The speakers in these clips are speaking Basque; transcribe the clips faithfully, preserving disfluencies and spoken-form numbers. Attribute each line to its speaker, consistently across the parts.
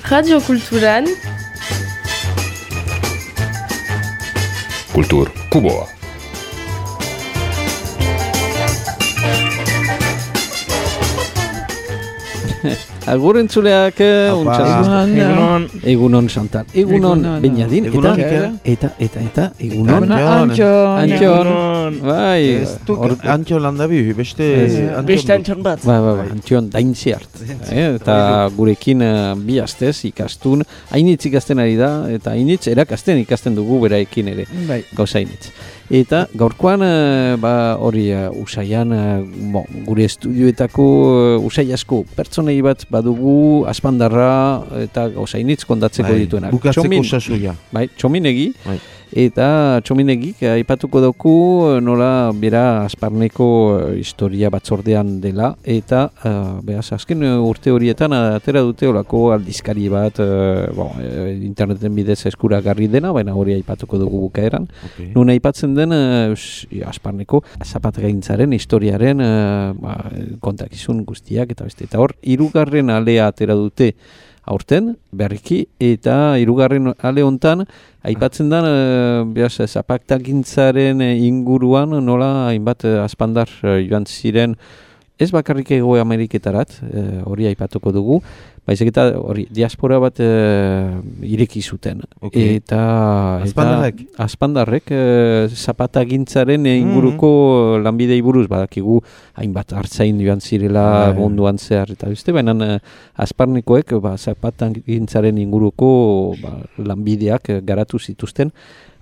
Speaker 1: Radio Kulturan
Speaker 2: Kultur Kuboa.
Speaker 3: Agur entzuleak,
Speaker 4: Egunon.
Speaker 3: Egunon Chantal, Egunon Beñadin, eta, eta, eta, eta, Egunon
Speaker 4: Antxon.
Speaker 3: Antxon, bai,
Speaker 5: Antxon landabi, beste
Speaker 4: Beste Antxon bat.
Speaker 3: bai, bai, bai, Antxon daintziart, eta gurekin bi astez ikastun, hainitz ikasten ari da, eta hainitz erakasten ikasten dugu beraekin ere, gauza hainitz. Eta gaurkoan, ba, hori usaian, bo, gure estudioetako usai asko pertsonei bat badugu aspandarra eta gauzainitz kondatzeko
Speaker 5: bai,
Speaker 3: dituenak.
Speaker 5: Bukatzeko sasoia.
Speaker 3: Bai, txominegi.
Speaker 5: Bai.
Speaker 3: Eta txominegik aipatuko dauku nola bera asparneko historia batzordean dela eta uh, behaz, azken urte horietan atera dute olako aldizkari bat uh, bon, interneten bidez eskuragarri dena, baina hori aipatuko dugu bukaeran. Okay. Nun aipatzen den uh, asparneko zapatgaintzaren historiaren uh, ba, kontakizun guztiak eta beste. Eta hor, hirugarren alea atera dute aurten, berriki, eta hirugarren ale hontan aipatzen da, e, behaz, zapaktagintzaren inguruan nola hainbat aspandar joan ziren, ez bakarrik Hego Ameriketarat, e, hori aipatuko dugu, baizik eta hori diaspora bat e, ireki zuten.
Speaker 5: Okay.
Speaker 3: Eta
Speaker 5: aspandarrek,
Speaker 3: eta, aspandarrek e, zapatagintzaren inguruko mm-hmm. lanbidei buruz badakigu hainbat hartzain joan zirela ah, munduan zehar eta beste, baina e, asparnekoek ba, zapatagintzaren inguruko ba, lanbideak garatu zituzten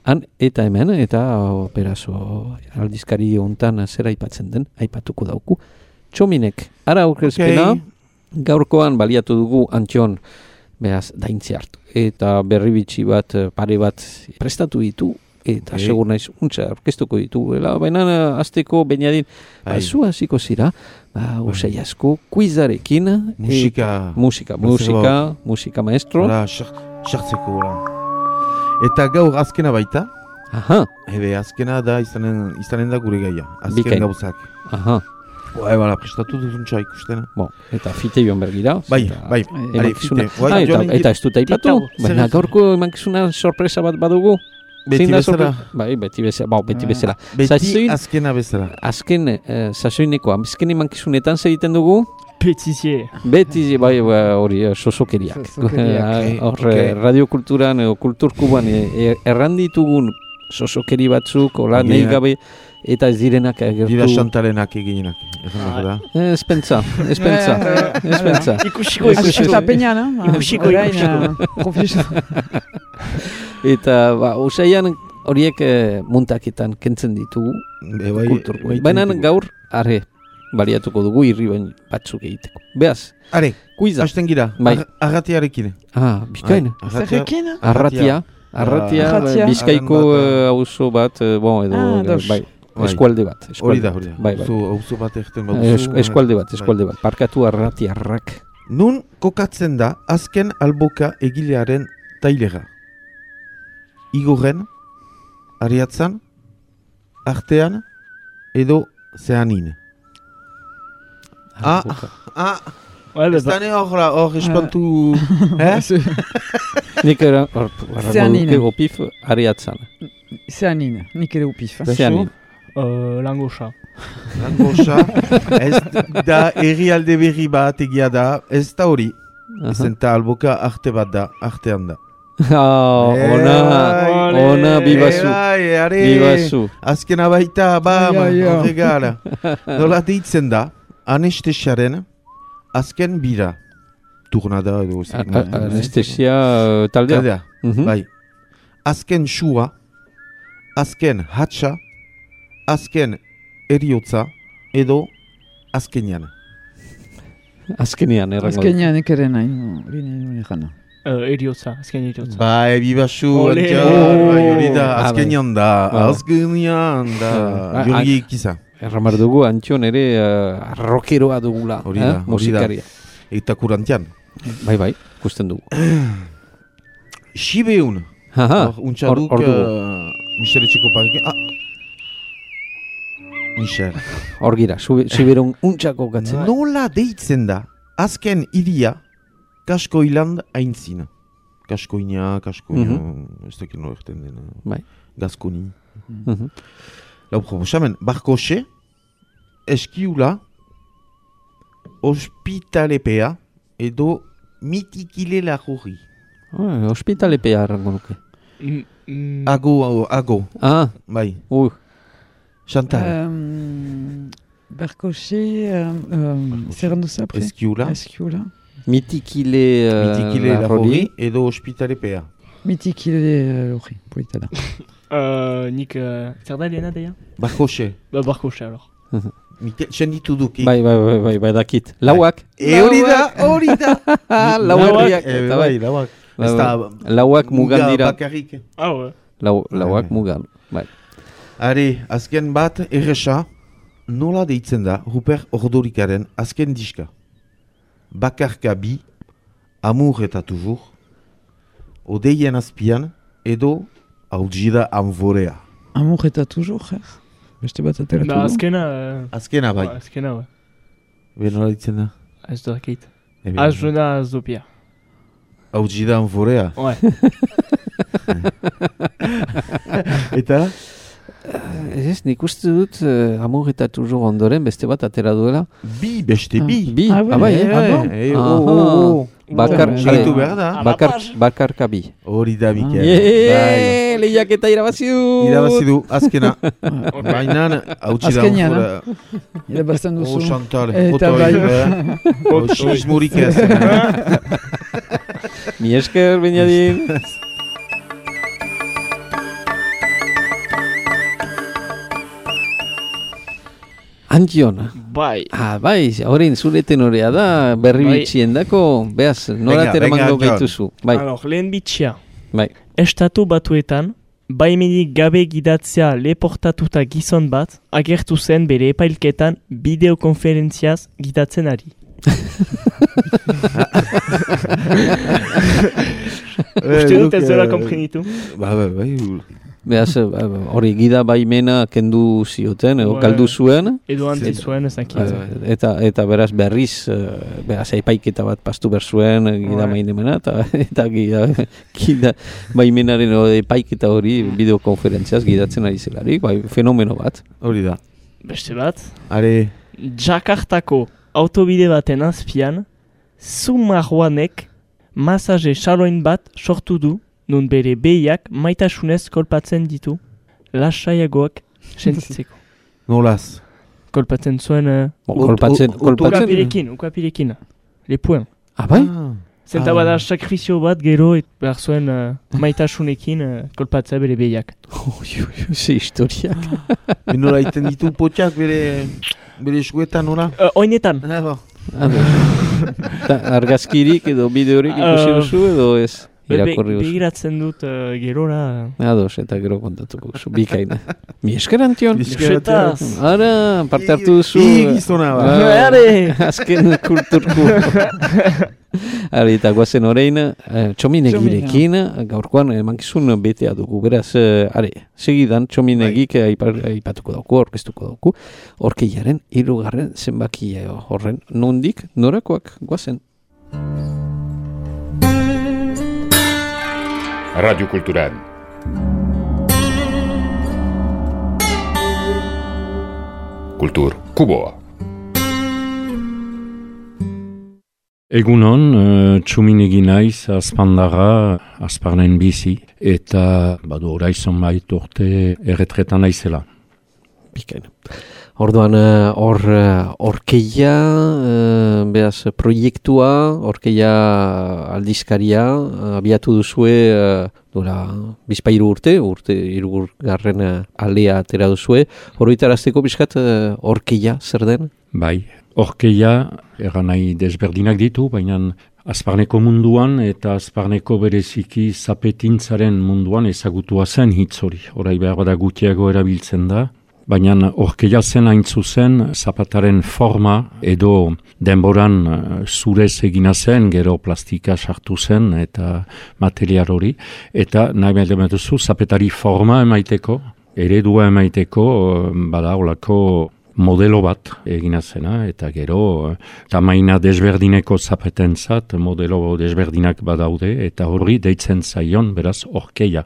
Speaker 3: han eta hemen, eta operazo aldizkari hontan zer aipatzen den, aipatuko dauku. Txominek, ara aurkezpena, okay. Gaurkoan baliatu dugu Antxon behaz daintzi hartu. Eta berri bitxi bat, pare bat prestatu ditu, eta okay. Segur naiz untza orkestuko ditu. Baina azteko Beñadin, ba, zu hasiko zira, ba, usai asko, kuizarekin.
Speaker 5: Musika.
Speaker 3: Et, musika, musika, musika maestro.
Speaker 5: Hala, xartzeko. Eta gaur azkena baita.
Speaker 3: Aha.
Speaker 5: Ebe, azkena da izanen, izanen da gure gaia. Azken
Speaker 3: Bikain.
Speaker 5: Gauzak.
Speaker 3: Aha.
Speaker 5: Bai, bala, prestatu duzuntza ikustena.
Speaker 3: Bon, eta fite joan bergira.
Speaker 5: Bai, bai,
Speaker 3: bai, fite. Ah, eta, eta ez dut aipatu, baina gaurko emankizuna sorpresa bat badugu.
Speaker 5: Beti bezala.
Speaker 3: Bai, beti bezala. Ba, beti bezala.
Speaker 5: Beti
Speaker 3: Zazoin,
Speaker 5: azkena bezala.
Speaker 3: Azken, eh, sasoineko, azken emankizunetan zer egiten dugu?
Speaker 4: Petizie.
Speaker 3: Betizie, bai, hori, sosokeriak. Hor, okay. Radiokulturan, kulturkuban, erranditugun sosokeri batzuk, hola, yeah. Nahi gabe, eta ez direnak agertu.
Speaker 5: Dira Xantalenak eginak.
Speaker 3: Ez pentsa, ez pentsa, ez pentsa.
Speaker 4: Ikusiko, ikusiko.
Speaker 6: Eta peña, no?
Speaker 4: Ikusiko, ikusiko.
Speaker 3: Eta, ba, usaian horiek eh, muntaketan kentzen ditugu.
Speaker 5: Be, bai,
Speaker 3: kulturko. Baina gaur, arre, baliatuko dugu irri bain batzuk egiteko. Beaz.
Speaker 5: Are,
Speaker 3: kuiza.
Speaker 5: Hasten gira,
Speaker 3: bai.
Speaker 5: Arratiarekin.
Speaker 3: Ah, bikain.
Speaker 6: Zerrekin?
Speaker 3: Arratia. Arratia,
Speaker 6: Arratia.
Speaker 3: Bizkaiko auzo bat, bon, edo,
Speaker 6: ah,
Speaker 3: bai, eskualde bat.
Speaker 5: Hori da, hori da.
Speaker 3: Bai, bai.
Speaker 5: Auzo bat egiten bat.
Speaker 3: Es, eskualde bat, eskualde bat. Parkatu Arratiarrak.
Speaker 5: Nun kokatzen da azken alboka egilearen tailera. Igorren, Ariatzan, Artean, edo Zeanin. Ah, ah, ez dane hor espantu...
Speaker 3: Nik era, hor, opif, Ariatzan.
Speaker 6: Zeanin, nik ere opif.
Speaker 3: Zeanin.
Speaker 4: Langosa.
Speaker 5: Langosa, ez da herrialde berri bat egia da, ez da hori. Zenta alboka arte bat da, artean da.
Speaker 3: Ona, ona, bibazu, bibazu.
Speaker 5: Azkena baita, bam, horregara. Nola deitzen da, anestesiaren azken bira. Turnada edo.
Speaker 3: Anestesia taldea?
Speaker 5: Taldea, bai. Azken sua, azken hatxa, azken eriotza, edo azkenian.
Speaker 3: Azkenian, errango.
Speaker 6: Azkenian ekere nahi, hori nahi jana.
Speaker 4: Eriotza, azken eriotza.
Speaker 5: Bai, bibasu, hori da, azkenian da, azkenian da, jurgi ikiza.
Speaker 3: Erramar dugu, Antxon ere arrokeroa dugula, musikaria.
Speaker 5: Eta kurantian.
Speaker 3: Bai, bai, ikusten dugu.
Speaker 5: Sibeun. Untxaduk, Michel Etxeko parike. Ah! Michel.
Speaker 3: Hor gira, Sibeun untxako gatzen.
Speaker 5: Nola deitzen da, azken iria, Kaskoiland aintzin. Kaskoina, kaskoina,
Speaker 3: Mhm.
Speaker 5: ez dakit nola erten dena.
Speaker 3: Bai.
Speaker 5: Gaskoni.
Speaker 3: Mhm.
Speaker 5: Lau proposamen, Barkoxe, eskiula, ospitalepea, edo mitikile lagurri.
Speaker 3: Ah, Hospitalepea errango nuke.
Speaker 4: Mm, mm,
Speaker 5: Ago, ago,
Speaker 3: Ah,
Speaker 5: bai.
Speaker 3: uh,
Speaker 5: Chantal,
Speaker 6: Um, Berkoche, um, um, zer handu za, pre?
Speaker 5: eskiula,
Speaker 6: Eskiula.
Speaker 3: mitikile uh,
Speaker 5: mitikile lagurri, edo ospitalepea.
Speaker 6: Mitikile hori, polita da.
Speaker 4: euh, nik, uh, zer da lehena deia?
Speaker 5: Barkoxe,
Speaker 4: Ba, barkoxe, alors.
Speaker 5: Mikel, senditu duki.
Speaker 3: Bai, bai, bai, bai, bai, dakit. Lauak.
Speaker 5: E hori da, hori da.
Speaker 3: Lauak.
Speaker 5: Eh,
Speaker 3: Eta
Speaker 5: bai,
Speaker 3: bai.
Speaker 5: lauak.
Speaker 3: Bai,
Speaker 5: Ez da,
Speaker 3: bai. Lauak mugan
Speaker 5: muga
Speaker 3: dira.
Speaker 5: bakarrik.
Speaker 4: Ah, ouais.
Speaker 3: Lau, lauak
Speaker 5: Bai.
Speaker 3: mugan. Bai.
Speaker 5: Are, azken bat, erresa, nola deitzen da Rupert Ordorikaren azken diska. Bakarka bi, Amour eta toujours, Odeien azpian, edo Audjida Amvorea.
Speaker 6: Amour eta toujours, eh? Beste bat ateratu
Speaker 4: Ba,
Speaker 6: du.
Speaker 4: azkena... Uh,
Speaker 5: Azkena bai,
Speaker 4: ouais, azkena, ouais.
Speaker 5: be nola deitzen da?
Speaker 4: Ez da dakit.
Speaker 5: Ebe,
Speaker 4: Azuna azopia.
Speaker 5: Audjida Amvorea.
Speaker 4: Ouais.
Speaker 5: Eta?
Speaker 3: Ez, nik uste dut uh, Amour eta toujours ondoren beste bat atera duela.
Speaker 5: Bi, beste
Speaker 6: Ah.
Speaker 5: bi.
Speaker 3: Bi,
Speaker 6: Ah, bai,
Speaker 3: abai,
Speaker 6: eh,
Speaker 3: eh?
Speaker 6: ah, bon?
Speaker 5: Eh,
Speaker 3: Aha.
Speaker 5: oh, oh, oh.
Speaker 3: Bakar,
Speaker 6: Oh,
Speaker 5: Saitu
Speaker 3: are,
Speaker 5: behar da.
Speaker 3: bakar, bakarka bi.
Speaker 5: Hori da, Mikel.
Speaker 3: Yeee, lehiaketa irabazi dut!
Speaker 5: Irabazi du, azkena. Baina, Audjida
Speaker 6: Azkenean,
Speaker 5: Amvorea.
Speaker 6: Irabazten
Speaker 5: Oh,
Speaker 6: duzu.
Speaker 5: Chantal,
Speaker 6: Eta
Speaker 5: otoi,
Speaker 6: bai.
Speaker 5: eh? Oh, xismurik ez.
Speaker 3: Mi esker, Beñadin. Antion.
Speaker 4: Bai.
Speaker 3: Ah, bai, horrein zure tenorea da, berri
Speaker 4: Bai.
Speaker 3: bitxien dako, behaz, nola
Speaker 5: Venga,
Speaker 3: teramango
Speaker 5: venga,
Speaker 3: gaituzu. Bai,
Speaker 4: Alors, lehen bitxia.
Speaker 3: bai.
Speaker 4: Estatu batuetan, baimenik gabe gidatzea leportatuta gizon bat, agertu zen bere epailketan bideokonferentziaz gidatzen ari. Uste dut ez dela komprenitu.
Speaker 5: Ba, ba, bai.
Speaker 3: Behaz, hori gida baimena kendu zioten, edo
Speaker 4: Bai.
Speaker 3: galdu zuen,
Speaker 4: Edo antzi
Speaker 3: Eta-
Speaker 4: zuen ez dakit.
Speaker 3: eta, eta beraz berriz, eh, behaz, epaiketa bat pastu berzuen eh, gida
Speaker 4: Bai.
Speaker 3: bainemena, eta, eta gida, gida baimenaren edo epaiketa hori bideokonferentziaz gidatzen ari zelarik, bai, fenomeno bat.
Speaker 5: Hori da.
Speaker 4: Beste bat,
Speaker 5: Are,
Speaker 4: Jakartako autobide baten azpian, Zumarroanek masaje saloin bat sortu du, nun bere behiak maitasunez kolpatzen ditu, lasaiagoak sentitzeko.
Speaker 5: nolaz.
Speaker 4: Kolpatzen zuen... Uh,
Speaker 3: Bo,
Speaker 5: Ut-
Speaker 3: kolpatzen,
Speaker 5: ut-
Speaker 3: kolpatzen.
Speaker 4: ukapirekin, ukapirekin. Lepuen.
Speaker 3: Ah, bai?
Speaker 4: Zenta
Speaker 5: Ah.
Speaker 4: bada sakrifizio bat gero et behar zuen uh, maitasunekin uh, kolpatzea bere behiak.
Speaker 3: Ui, ui, ui, ze historiak.
Speaker 5: E nola iten ditu potxak bere, bere eskuetan, nola?
Speaker 4: Uh, oinetan,
Speaker 5: Ah, ba.
Speaker 3: Ta, argazkirik edo bideorik ikusi
Speaker 4: Ah.
Speaker 3: duzu edo ez?
Speaker 4: be- be-
Speaker 3: Irakurri duzu.
Speaker 4: begiratzen dut uh, gerora.
Speaker 3: Ados, eta gero kontatuko duzu, bikaina. Mi esker, Antion.
Speaker 4: Esetaz.
Speaker 3: Ara, parte hartu duzu.
Speaker 5: I gizona, ba.
Speaker 3: Ah,
Speaker 4: Are!
Speaker 3: Azken kulturku. Ara, eta guazen orain, eh, txominegirekin, gaurkoan emankizun betea dugu. Beraz, eh, are, segidan txominegik eh, aipa- aipatuko dauku, orkestuko dauku. Orkeiaren hirugarren zenbaki eh, horren nondik, norakoak guazen.
Speaker 1: Radio Cultural. Kultur Kuboa.
Speaker 2: Egunon, uh, txuminegi naiz, azpandarra, azparnen bizi, eta badu oraizon bait urte erretretan naizela.
Speaker 3: Bikaina. Orduan, eh, hor uh, orkeia, uh, beraz, proiektua, orkeia aldizkaria, uh, abiatu duzue, uh, dura, bizpairu urte, urte irugurgarren uh, alea atera duzue, horoitarazteko bizkat uh, orkeia zer den?
Speaker 2: Bai, orkeia, eran nahi desberdinak ditu, baina azparneko munduan eta azparneko bereziki zapetintzaren munduan ezagutua zen hitz hori. Horai behar bada gutiago erabiltzen da, baina orkeia zen hain zuzen zapataren forma edo denboran uh, zurez egina zen, gero plastika sartu zen eta material hori, eta nahi behar duzu zapetari forma emaiteko, eredua emaiteko, uh, bada olako modelo bat egina zena, eta gero tamaina desberdineko zapetentzat modelo desberdinak badaude, eta horri deitzen zaion, beraz, orkeia.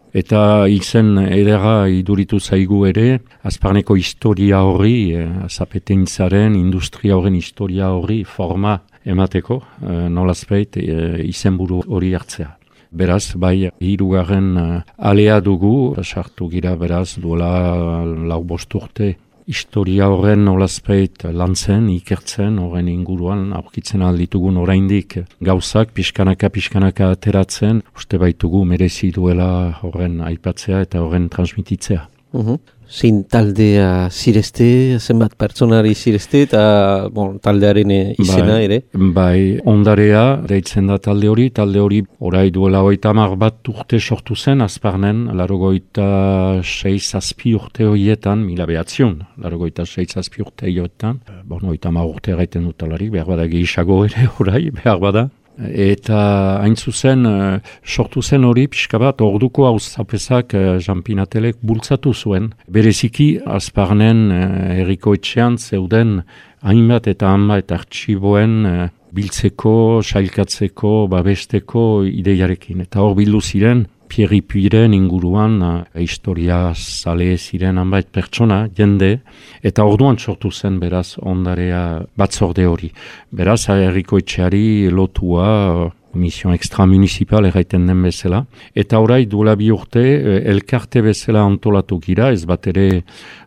Speaker 2: Eta izen edera iduritu zaigu ere, Azparneko historia horri, eh, zapetentzaren, industria horren historia horri forma emateko, eh, nolazpeit eh, izenburu hori hartzea. Beraz, bai, hirugarren uh, alea dugu, sartu gira beraz, duela lau bost urte, historia horren nolazpeit lantzen, ikertzen, horren inguruan, aurkitzen alditugun oraindik gauzak, pixkanaka, pixkanaka ateratzen, uste baitugu merezi duela horren aipatzea eta horren transmititzea.
Speaker 3: Uhum. Zein taldea zirezte, zenbat pertsonari zirezte, eta bon, taldearen izena
Speaker 2: bai,
Speaker 3: ere?
Speaker 2: Bai, ondarea, deitzen da talde hori, talde hori orai duela hogeita hamar bat urte sortu zen, Azparnen, laurogeita sei zazpi urte horietan, mila behatziun, laurogeita sei zazpi urte horietan, bon, hogeita hamar urte gaiten dutalarik, behar bada gehiago ere orai, behar bada. Eta hain zuzen, sortu zen hori pixka bat, orduko auzapezak Jean-Pinatelek bultzatu zuen. Bereziki, Azparnen herriko etxean zeuden hainbat eta hainbat artxiboen biltzeko, sailkatzeko, babesteko ideiarekin. Eta hor bildu ziren, Pierre Puiren inguruan, uh, historia zale ziren hanbait pertsona, jende, eta orduan sortu zen beraz ondarea batzorde hori. Beraz, herriko etxeari lotua uh, mission extramunicipal erraiten den bezala. Eta orai duela bi urte, uh, elkarte bezala antolatu gira, ez bat ere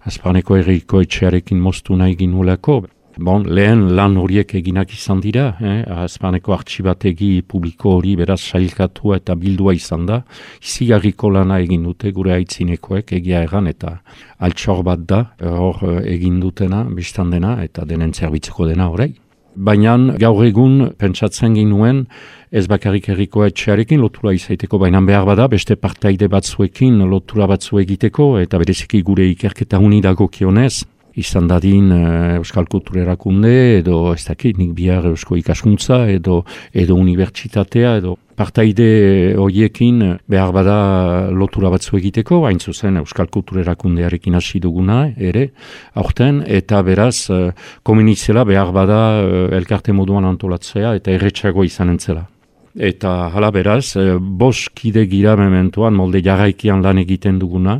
Speaker 2: Azparneko herriko etxearekin moztu nahi ginulako. Bon, lehen lan horiek eginak izan dira, eh? Azparneko artxibategi publiko hori beraz sailkatua eta bildua izan da. Izigarriko lana egin dute gure aitzinekoek egia erran eta altxor bat da, hor egin dutena, biztan dena eta denen zerbitzuko dena horrei. Baina gaur egun pentsatzen ginuen ez bakarrik herriko etxearekin lotura izaiteko, baina behar bada beste partaide batzuekin lotura batzu egiteko eta bereziki gure ikerketa uni dagokionez, izan dadin uh, Euskal Kulturerakunde edo ez dakit nik bihar Eusko Ikaskuntza edo edo unibertsitatea edo partaide horiekin behar bada lotura batzu egiteko, hain zuzen Euskal Kulturerakundearekin hasi duguna ere, aurten, eta beraz uh, komunitzela behar bada uh, elkarte moduan antolatzea eta erretxago izan entzela. Eta hala beraz, e, bost kide gira mementuan molde jarraikian lan egiten duguna,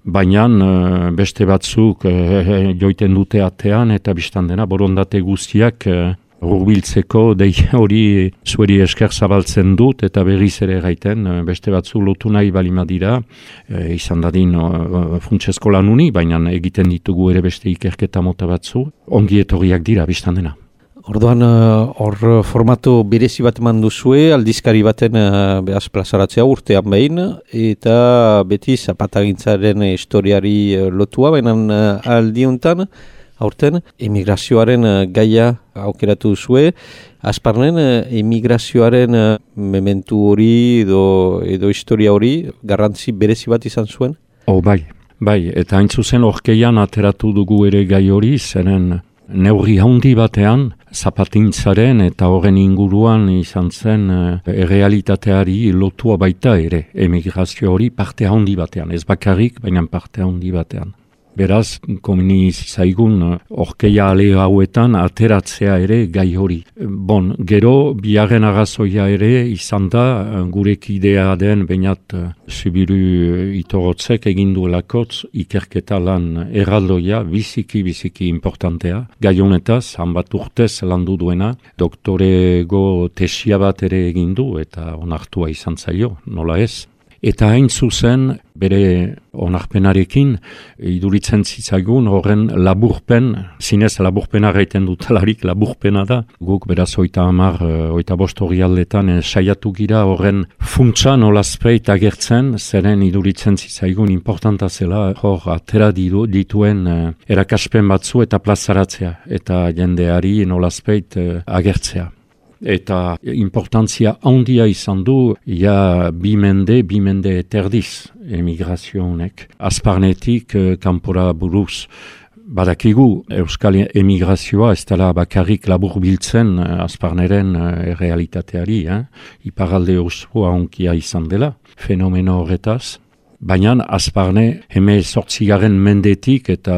Speaker 2: baina e, beste batzuk e, joiten dute atean eta biztan dena borondate guztiak e, hurbiltzeko dei hori zueri esker zabaltzen dut eta berriz ere gaiten e, beste batzuk lotu nahi balima dira, e, izan dadin e, funtsezko lan uni, baina egiten ditugu ere beste ikerketa mota batzu, ongi etorriak dira biztan dena.
Speaker 3: Orduan, hor uh, formatu berezi bat eman duzue, aldizkari baten uh, behaz plazaratzea urtean behin, eta beti zapatagintzaren historiari uh, lotua, baina uh, aldiuntan, aurten, emigrazioaren uh, gaia aukeratu duzue. Azparnen, uh, emigrazioaren uh, mementu hori edo, edo historia hori, garrantzi berezi bat izan zuen?
Speaker 2: Oh, bai, bai, eta hain zuzen orkeian ateratu dugu ere gai hori, zeren neurri handi batean, zapatintzaren eta horren inguruan izan zen e, errealitateari lotua baita ere, emigrazio hori parte handi batean, ez bakarrik, baina parte handi batean. Beraz, komeni zaigun orkeia ale hauetan ateratzea ere gai hori. Bon, gero, biharren arrazoia ere izan da, gure kidea den bainat Zubiru Itorotzek egin duelakotz ikerketa lan erraldoia, biziki, biziki importantea. Gai honetaz, hanbat urtez landu duena, doktorego tesia bat ere egin du eta onartua izan zaio, nola ez. Eta hain zuzen, bere onarpenarekin, iduritzen zitzagun horren laburpen, zinez laburpena gaiten dutalarik, laburpena da. Guk beraz oita hamar, oita bost hori aldetan saiatu gira horren funtsa nolazpeit agertzen, zeren iduritzen zitzaigun importanta zela hor atera ditu, dituen erakaspen batzu eta plazaratzea, eta jendeari nolazpeit agertzea. Eta importantzia handia izan du, ja bi mende, bi mende eterdiz emigrazio honek. Azparnetik eh, kanpora buruz badakigu euskal emigrazioa ez dela bakarrik labur biltzen eh, Azparneren eh, realitateari, eh? Iparalde osoa onkia izan dela, fenomeno horretaz. Baina Azparne heme sortzigaren mendetik eta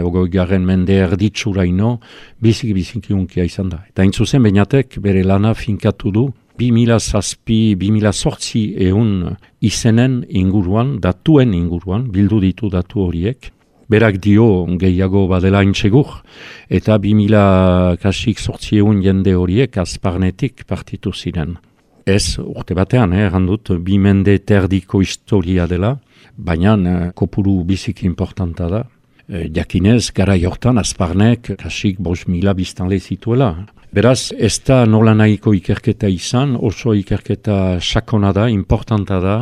Speaker 2: ogoigaren mende erditsuraino biziki-biziki unkia izan da. Eta hain zuzen Beñatek bere lana finkatu du bi mila zazpi, bi mila zortzi eun izenen inguruan, datuen inguruan, bildu ditu datu horiek. Berak dio gehiago badela intsegur, eta bi mila kasik zortzi eun jende horiek Azparnetik partitu ziren. Ez, urte batean, eh, errandut, bi mende terdiko historia dela, baina eh, kopuru biziki importanta da. Eh, jakinez, gara jortan, Azparnek kasik bost mila biztanle zituela. Beraz, ez da nola nahiko ikerketa izan, oso ikerketa sakona da, importanta da,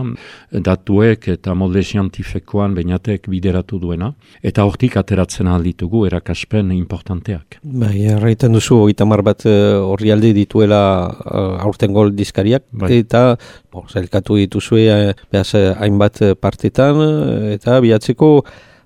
Speaker 2: datuek eta molde zientifikoan Beñatek bideratu duena, eta hortik ateratzen alditugu erakaspen importanteak.
Speaker 3: Bai, erraiten duzu, oitamar bat horri alde dituela uh, aurten gol dizkariak, bai. Eta bo, zailkatu dituzue uh, behaz hainbat partetan, eta bihatzeko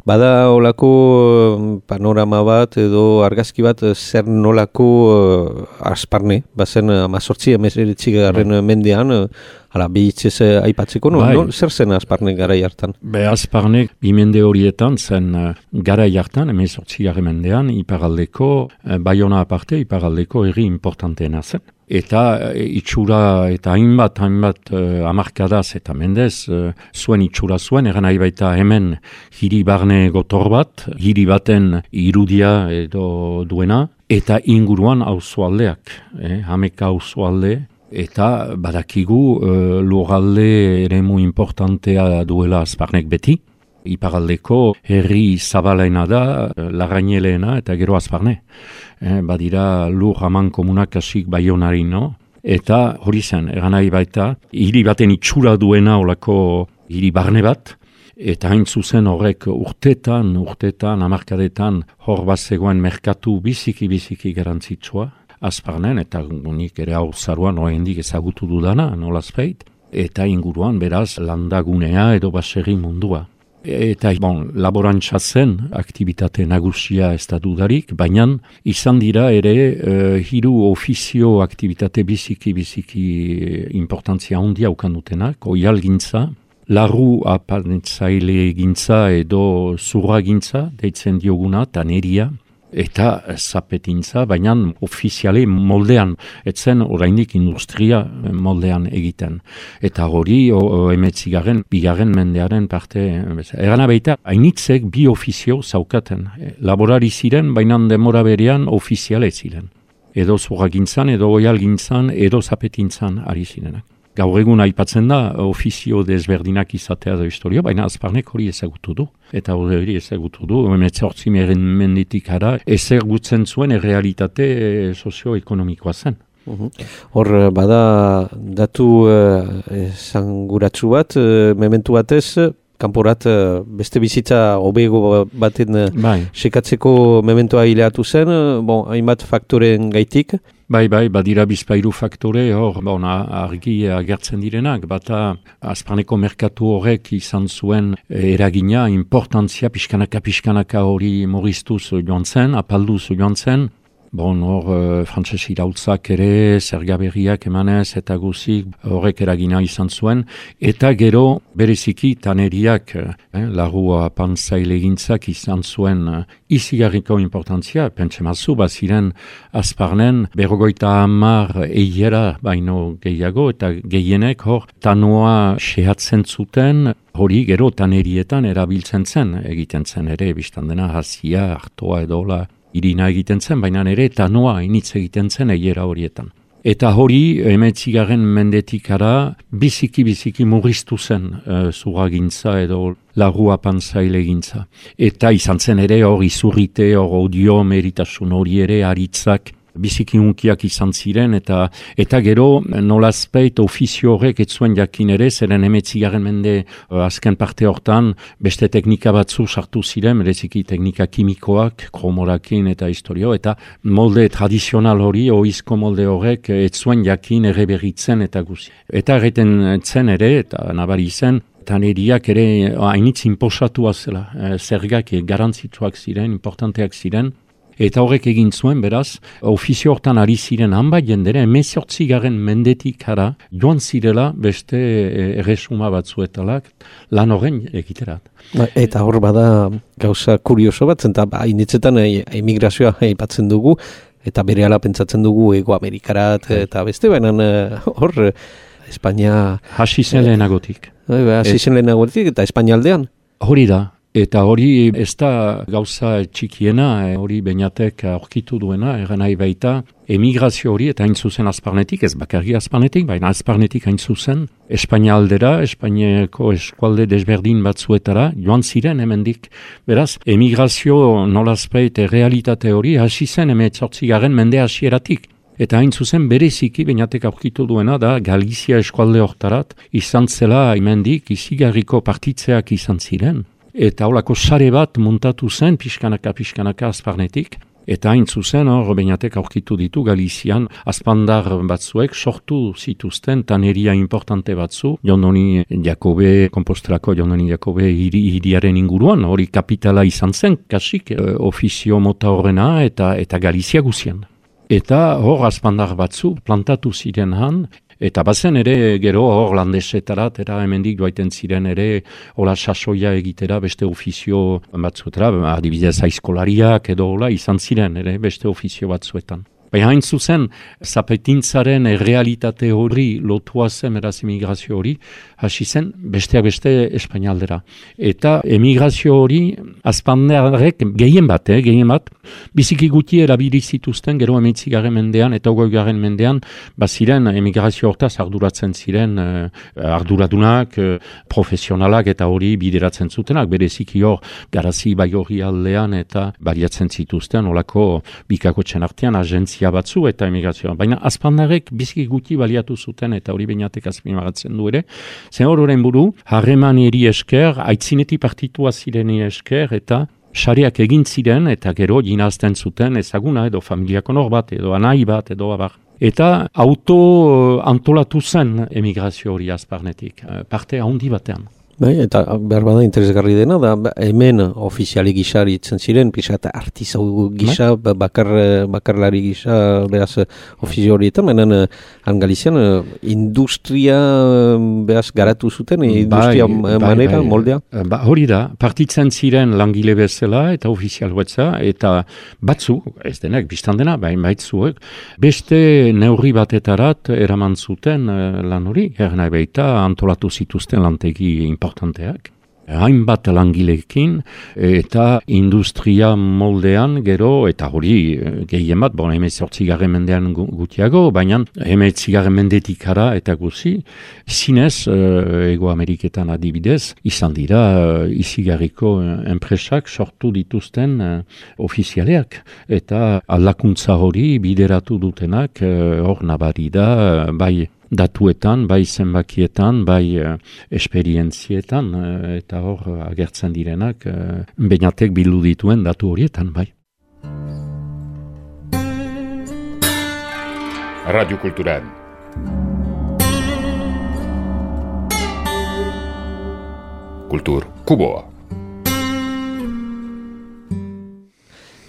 Speaker 3: bada olako panorama bat edo argazki bat zer nolako uh, Azparne, bazen amazortzi, emezeritzi garren bai. Mendean, uh, hala, behitzez uh, aipatzeko, no?
Speaker 2: Bai.
Speaker 3: No? Zer zen Azparne garai hartan?
Speaker 2: Be, Azparne bi mende horietan zen uh, garai hartan, emezortzi garren mendean, iparaldeko, uh, Baiona aparte, iparaldeko herri importanteena zen. Eta itxura eta hainbat, hainbat uh, amarkadaz eta mendez uh, zuen itxura zuen, eran nahi baita hemen hiri barne gotor bat, hiri baten irudia edo duena, eta inguruan auzoaldeak, eh, hameka auzoalde, eta badakigu uh, lurralde eremu importantea duela Azparnek beti. Iparaldeko herri zabalaina da, Larraineleena eta gero Azparne. Eh, badira lur haman komunak asik Baionarino, eta hori zen, eran nahi baita, hiri baten itxura duena olako hiri barne bat, eta hain zuzen horrek urtetan, urtetan, amarkadetan, hor bat zegoen merkatu biziki-biziki garantzitsua, Azparnen, eta nik ere hau zaruan oraindik ezagutu dudana, nolazpeit, eta inguruan beraz landagunea edo baserri mundua. Eta, bon, laborantza zen, aktivitate nagusia ez da dudarik, baina izan dira ere uh, hiru ofizio aktivitate biziki-biziki importantzia handia ukandutenak, oial gintza, larru apantzaile gintza edo zurra gintza, deitzen dioguna, taneria, eta zapetintza, baina ofiziale moldean, etzen orainik industria moldean egiten. Eta hori, emetzigaren, bigarren mendearen parte, erana baita, hainitzek bi ofizio zaukaten. Laborari ziren, baina demora berean ofiziale ziren. Edo zurragintzan, edo oialgintzan, edo zapetintzan ari zirenak. Gaur egun aipatzen da, ofizio desberdinak izatea da historia, baina Azparnek hori ezagutu du. Eta hori ezagutu du, emetzortzi menditik ara, ezagutzen zuen errealitate sozioekonomikoa zen.
Speaker 3: Uhum. Hor, bada datu esanguratsu bat, mementu batez, kanporat beste bizitza hobego baten bai. Sekatzeko mementoa hileatu zen, bon, hainbat faktoren gaitik.
Speaker 2: Bai, bai, badira bizpairu faktore, hor, bon, argi agertzen direnak, bata Azparneko merkatu horrek izan zuen eragina, importantzia, pixkanaka-pixkanaka hori moristuz joan zen, apalduz joan zen. Bon, hor, uh, frantses irautzak ere, zergaberriak emanez eta guzik horrek eragina izan zuen. Eta gero, bereziki, taneriak, eh, larrua pantzaile gintzak izan zuen uh, izigarriko importantzia, pentsemazu, baziren Azparnen, berrogoita hamar eiera baino gehiago, eta gehienek hor, tanoa sehatzen zuten, hori gero tanerietan erabiltzen zen, egiten zen ere, biztan dena, hazia, hartoa edola, irina egiten zen, baina ere tanoa initz egiten zen eiera horietan. Eta hori, emetzigaren mendetikara, biziki-biziki murriztu zen uh, zuragintza edo larrua pantzaile gintza. Eta izan zen ere hor izurrite, hor odio, meritasun hori ere, aritzak, biziki unkiak izan ziren, eta eta gero nolazpeit ofizio horrek ez zuen jakin ere, zeren emetzigaren mende uh, azken parte hortan, beste teknika batzu sartu ziren, bereziki teknika kimikoak, kromorakin eta historio, eta molde tradizional hori, oizko molde horrek ez zuen jakin ere berritzen eta guzi. Eta erreten zen ere, eta nabari zen, taneriak ere hainitz inposatua zela, zergak garantzituak ziren, importanteak ziren, Eta horrek egin zuen, beraz, ofizio hortan ari ziren hanbait jendera, hemezortzigarren mendetik ara, joan zirela beste erresuma batzuetalak lan horren egiterat.
Speaker 3: Ba, eta hor bada gauza kurioso bat, eta ba, initzetan emigrazioa aipatzen dugu, eta berehala pentsatzen dugu Ego Amerikarat eta beste, baina hor Espainia...
Speaker 2: Hasi zen lehenagotik.
Speaker 3: Hasi zen lehenagotik eta Espainia aldean.
Speaker 2: Hori da. Eta hori ez da gauza txikiena, hori Beñatek aurkitu duena, eran nahi baita, emigrazio hori, eta hain zuzen azparnetik, ez bakarri azparnetik, baina azparnetik hain zuzen, Espainia aldera, Espainiako eskualde desberdin batzuetara, joan ziren hemendik. Beraz, emigrazio nolazpeit realitate hori, hasi zen hemeretzortzigarren mende hasieratik. Eta hain zuzen bereziki Beñatek aurkitu duena da Galizia eskualde hortarat, izan zela hemendik izigarriko partitzeak izan ziren. Eta holako sare bat montatu zen pixkanaka-pixkanaka azparnetik. Eta hain zuzen hor Beñatek aurkitu ditu Galizian azpandar batzuek sortu zituzten taneria importante batzu. Jondoni Jakobe, Kompostelako Jondoni Jakobe hiriaren inguruan, hori kapitala izan zen, kasik, e, ofizio mota horrena eta, eta Galizia guzian. Eta hor azpandar batzu plantatu ziren han, eta bazen ere gero hor landesetarat, era hemendik joaiten ziren ere hola sasoia egitera beste ofizio batzuetara, adibidez aizkolariak edo hola izan ziren ere beste ofizio batzuetan. Baina hain zuzen, zapetintzaren errealitate hori lotua zen eraz emigrazio hori, hasi zen besteak beste Espainialdera. Eta emigrazio hori azpandarrek gehien bat, eh, gehien bat, biziki guti erabili zituzten gero hemeretzigarren mendean eta hogeigarren mendean, baziren emigrazio hortaz arduratzen ziren eh, arduradunak, eh, profesionalak eta hori bideratzen zutenak, bereziki hor Garazi Baigorri aldean eta baliatzen zituzten olako bikakotzen artean agentzia batzu eta emigrazioa. Baina azpandarrek biziki guti baliatu zuten eta hori Beñatek azpimarratzen du ere. Zen hor buru, harreman eri esker, aitzineti partitua zireni esker eta sareak egin ziren eta gero jinazten zuten ezaguna edo familiako nor bat edo anai bat edo abar. Eta auto antolatu zen emigrazio hori azparnetik, parte handi batean.
Speaker 3: Bai, eta behar bada interesgarri dena, da hemen ofiziali gisa itzen ziren, pisa eta artizau gisa, bai? bakar, bakarlari gisa, beraz ofizio horietan, menan han Galizian industria beraz garatu zuten, industria bai, manera, bai, moldea?
Speaker 2: Ba, hori da, partitzen ziren langile bezala eta ofizial betza, eta batzu, ez denek, biztan dena, bain baitzuek, beste neurri batetarat eraman zuten lan hori, ernai baita antolatu zituzten lantegi importanteak. Hainbat langilekin eta industria moldean gero, eta hori gehien bat, bon, hemezortzigarren mendean gutiago, baina hemezortzigarren mendetik ara eta guzi, zinez, Ego Ameriketan adibidez, izan dira izigarriko enpresak sortu dituzten ofizialeak, eta aldakuntza hori bideratu dutenak hor nabari da, bai datuetan, bai zenbakietan, bai uh, esperientzietan, uh, eta hor uh, agertzen direnak, uh, Beñatek bildu dituen datu horietan, bai.
Speaker 1: Radio Cultural. Kultur Kuboa.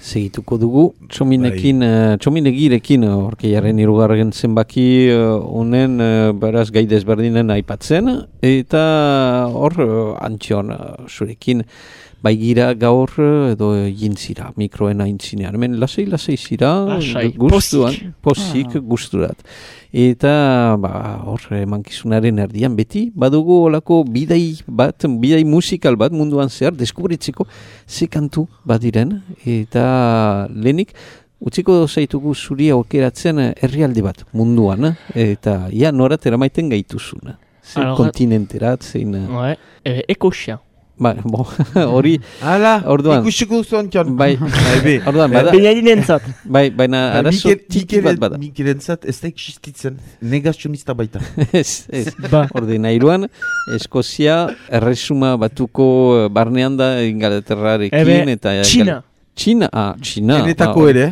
Speaker 3: Segituko dugu, txominekin, uh, txominegirekin orkeiaren irugarren zenbaki honen uh, uh, beraz gai desberdinen aipatzen, eta hor uh, Antxon uh, zurekin baigira gaur edo jintzira, mikroen aintzinean. Hemen lasei-lasei zira, guztuan, posik, ah. Guzturat. Eta ba, hor emankizunaren erdian beti, badugu olako bidai bat, bidai musikal bat munduan zehar, deskubritzeko ze kantu badiren, eta lehenik, utziko zaitugu zuri aukeratzen herrialde bat munduan, eta ia norat eramaiten gaituzuna. Zein kontinenterat, zein...
Speaker 4: Ouais, e, Ekosia.
Speaker 3: Ba, bo, hori...
Speaker 5: Hala,
Speaker 3: orduan,
Speaker 5: ikusiko zuan txan.
Speaker 3: Bai, orduan, bada...
Speaker 4: Benadinentzat.
Speaker 3: Bai, baina arazo tiki bat bada.
Speaker 5: Mikerentzat ez da existitzen, negazionista baita.
Speaker 3: Ez, ez. Ba. Orde nahiruan, Eskozia erresuma batuko barnean da Ingalaterrarekin eta...
Speaker 4: Txina.
Speaker 3: Txina, ah, Txina.
Speaker 5: Genetako
Speaker 3: ah,
Speaker 5: ere.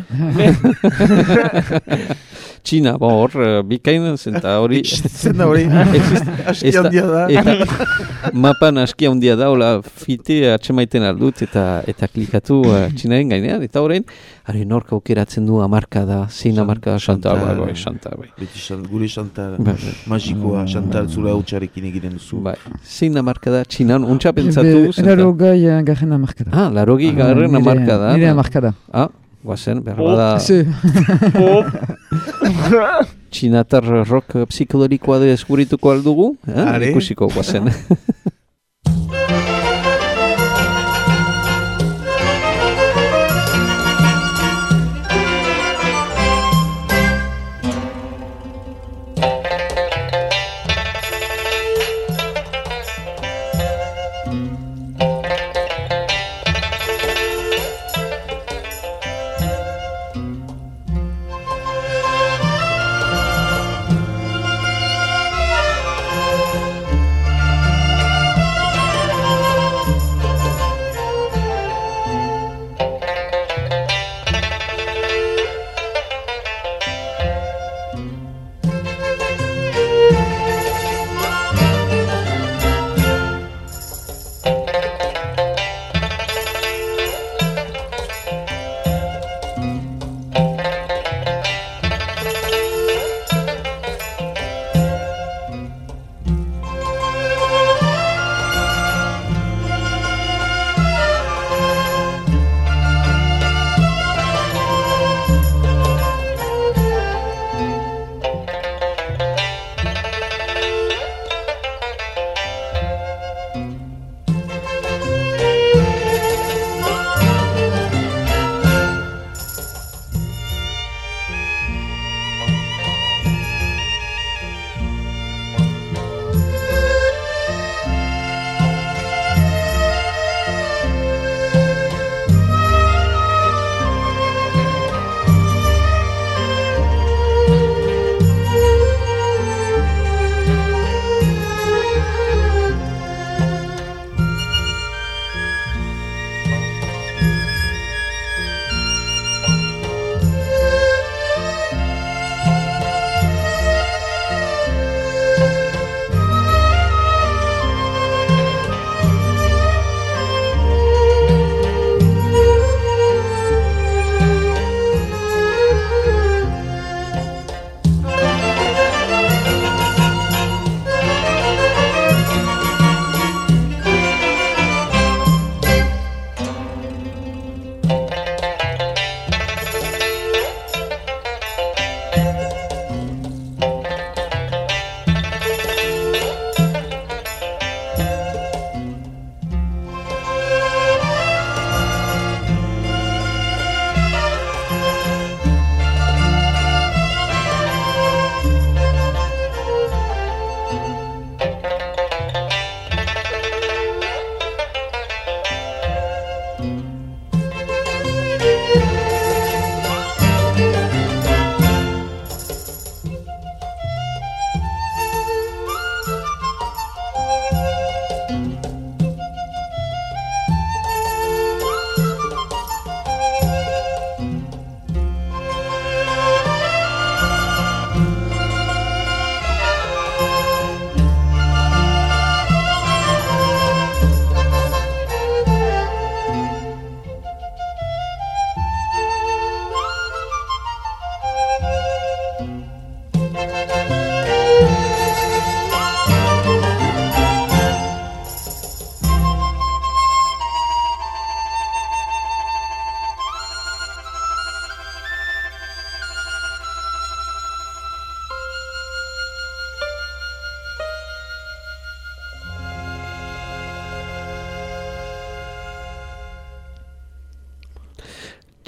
Speaker 3: Txina, bo, hor, uh, bikain, zenta hori...
Speaker 5: Existitzen da hori, aski handia da.
Speaker 3: Eta mapan aski handia da, hola, fite atxemaiten aldut, eta eta klikatu uh, Txinaren gainean, eta horrein, hari nork aukeratzen du amarka da, zein amarka da, Chantal, bai, bai, Chantal, bai.
Speaker 5: Beti xant, gure Chantal, magikoa, Chantal zure hautsarekin egiten duzu.
Speaker 3: Bai, zein amarka da, Txinan, untxa pentsatu...
Speaker 6: Laro gai garren amarka da.
Speaker 3: Ah, laro gai garren amarka da.
Speaker 6: Nire amarka da.
Speaker 3: Ah, guazen, behar da... Txinatar rock psikologikoa deskubrituko aldugu, eh? Ikusiko guazen.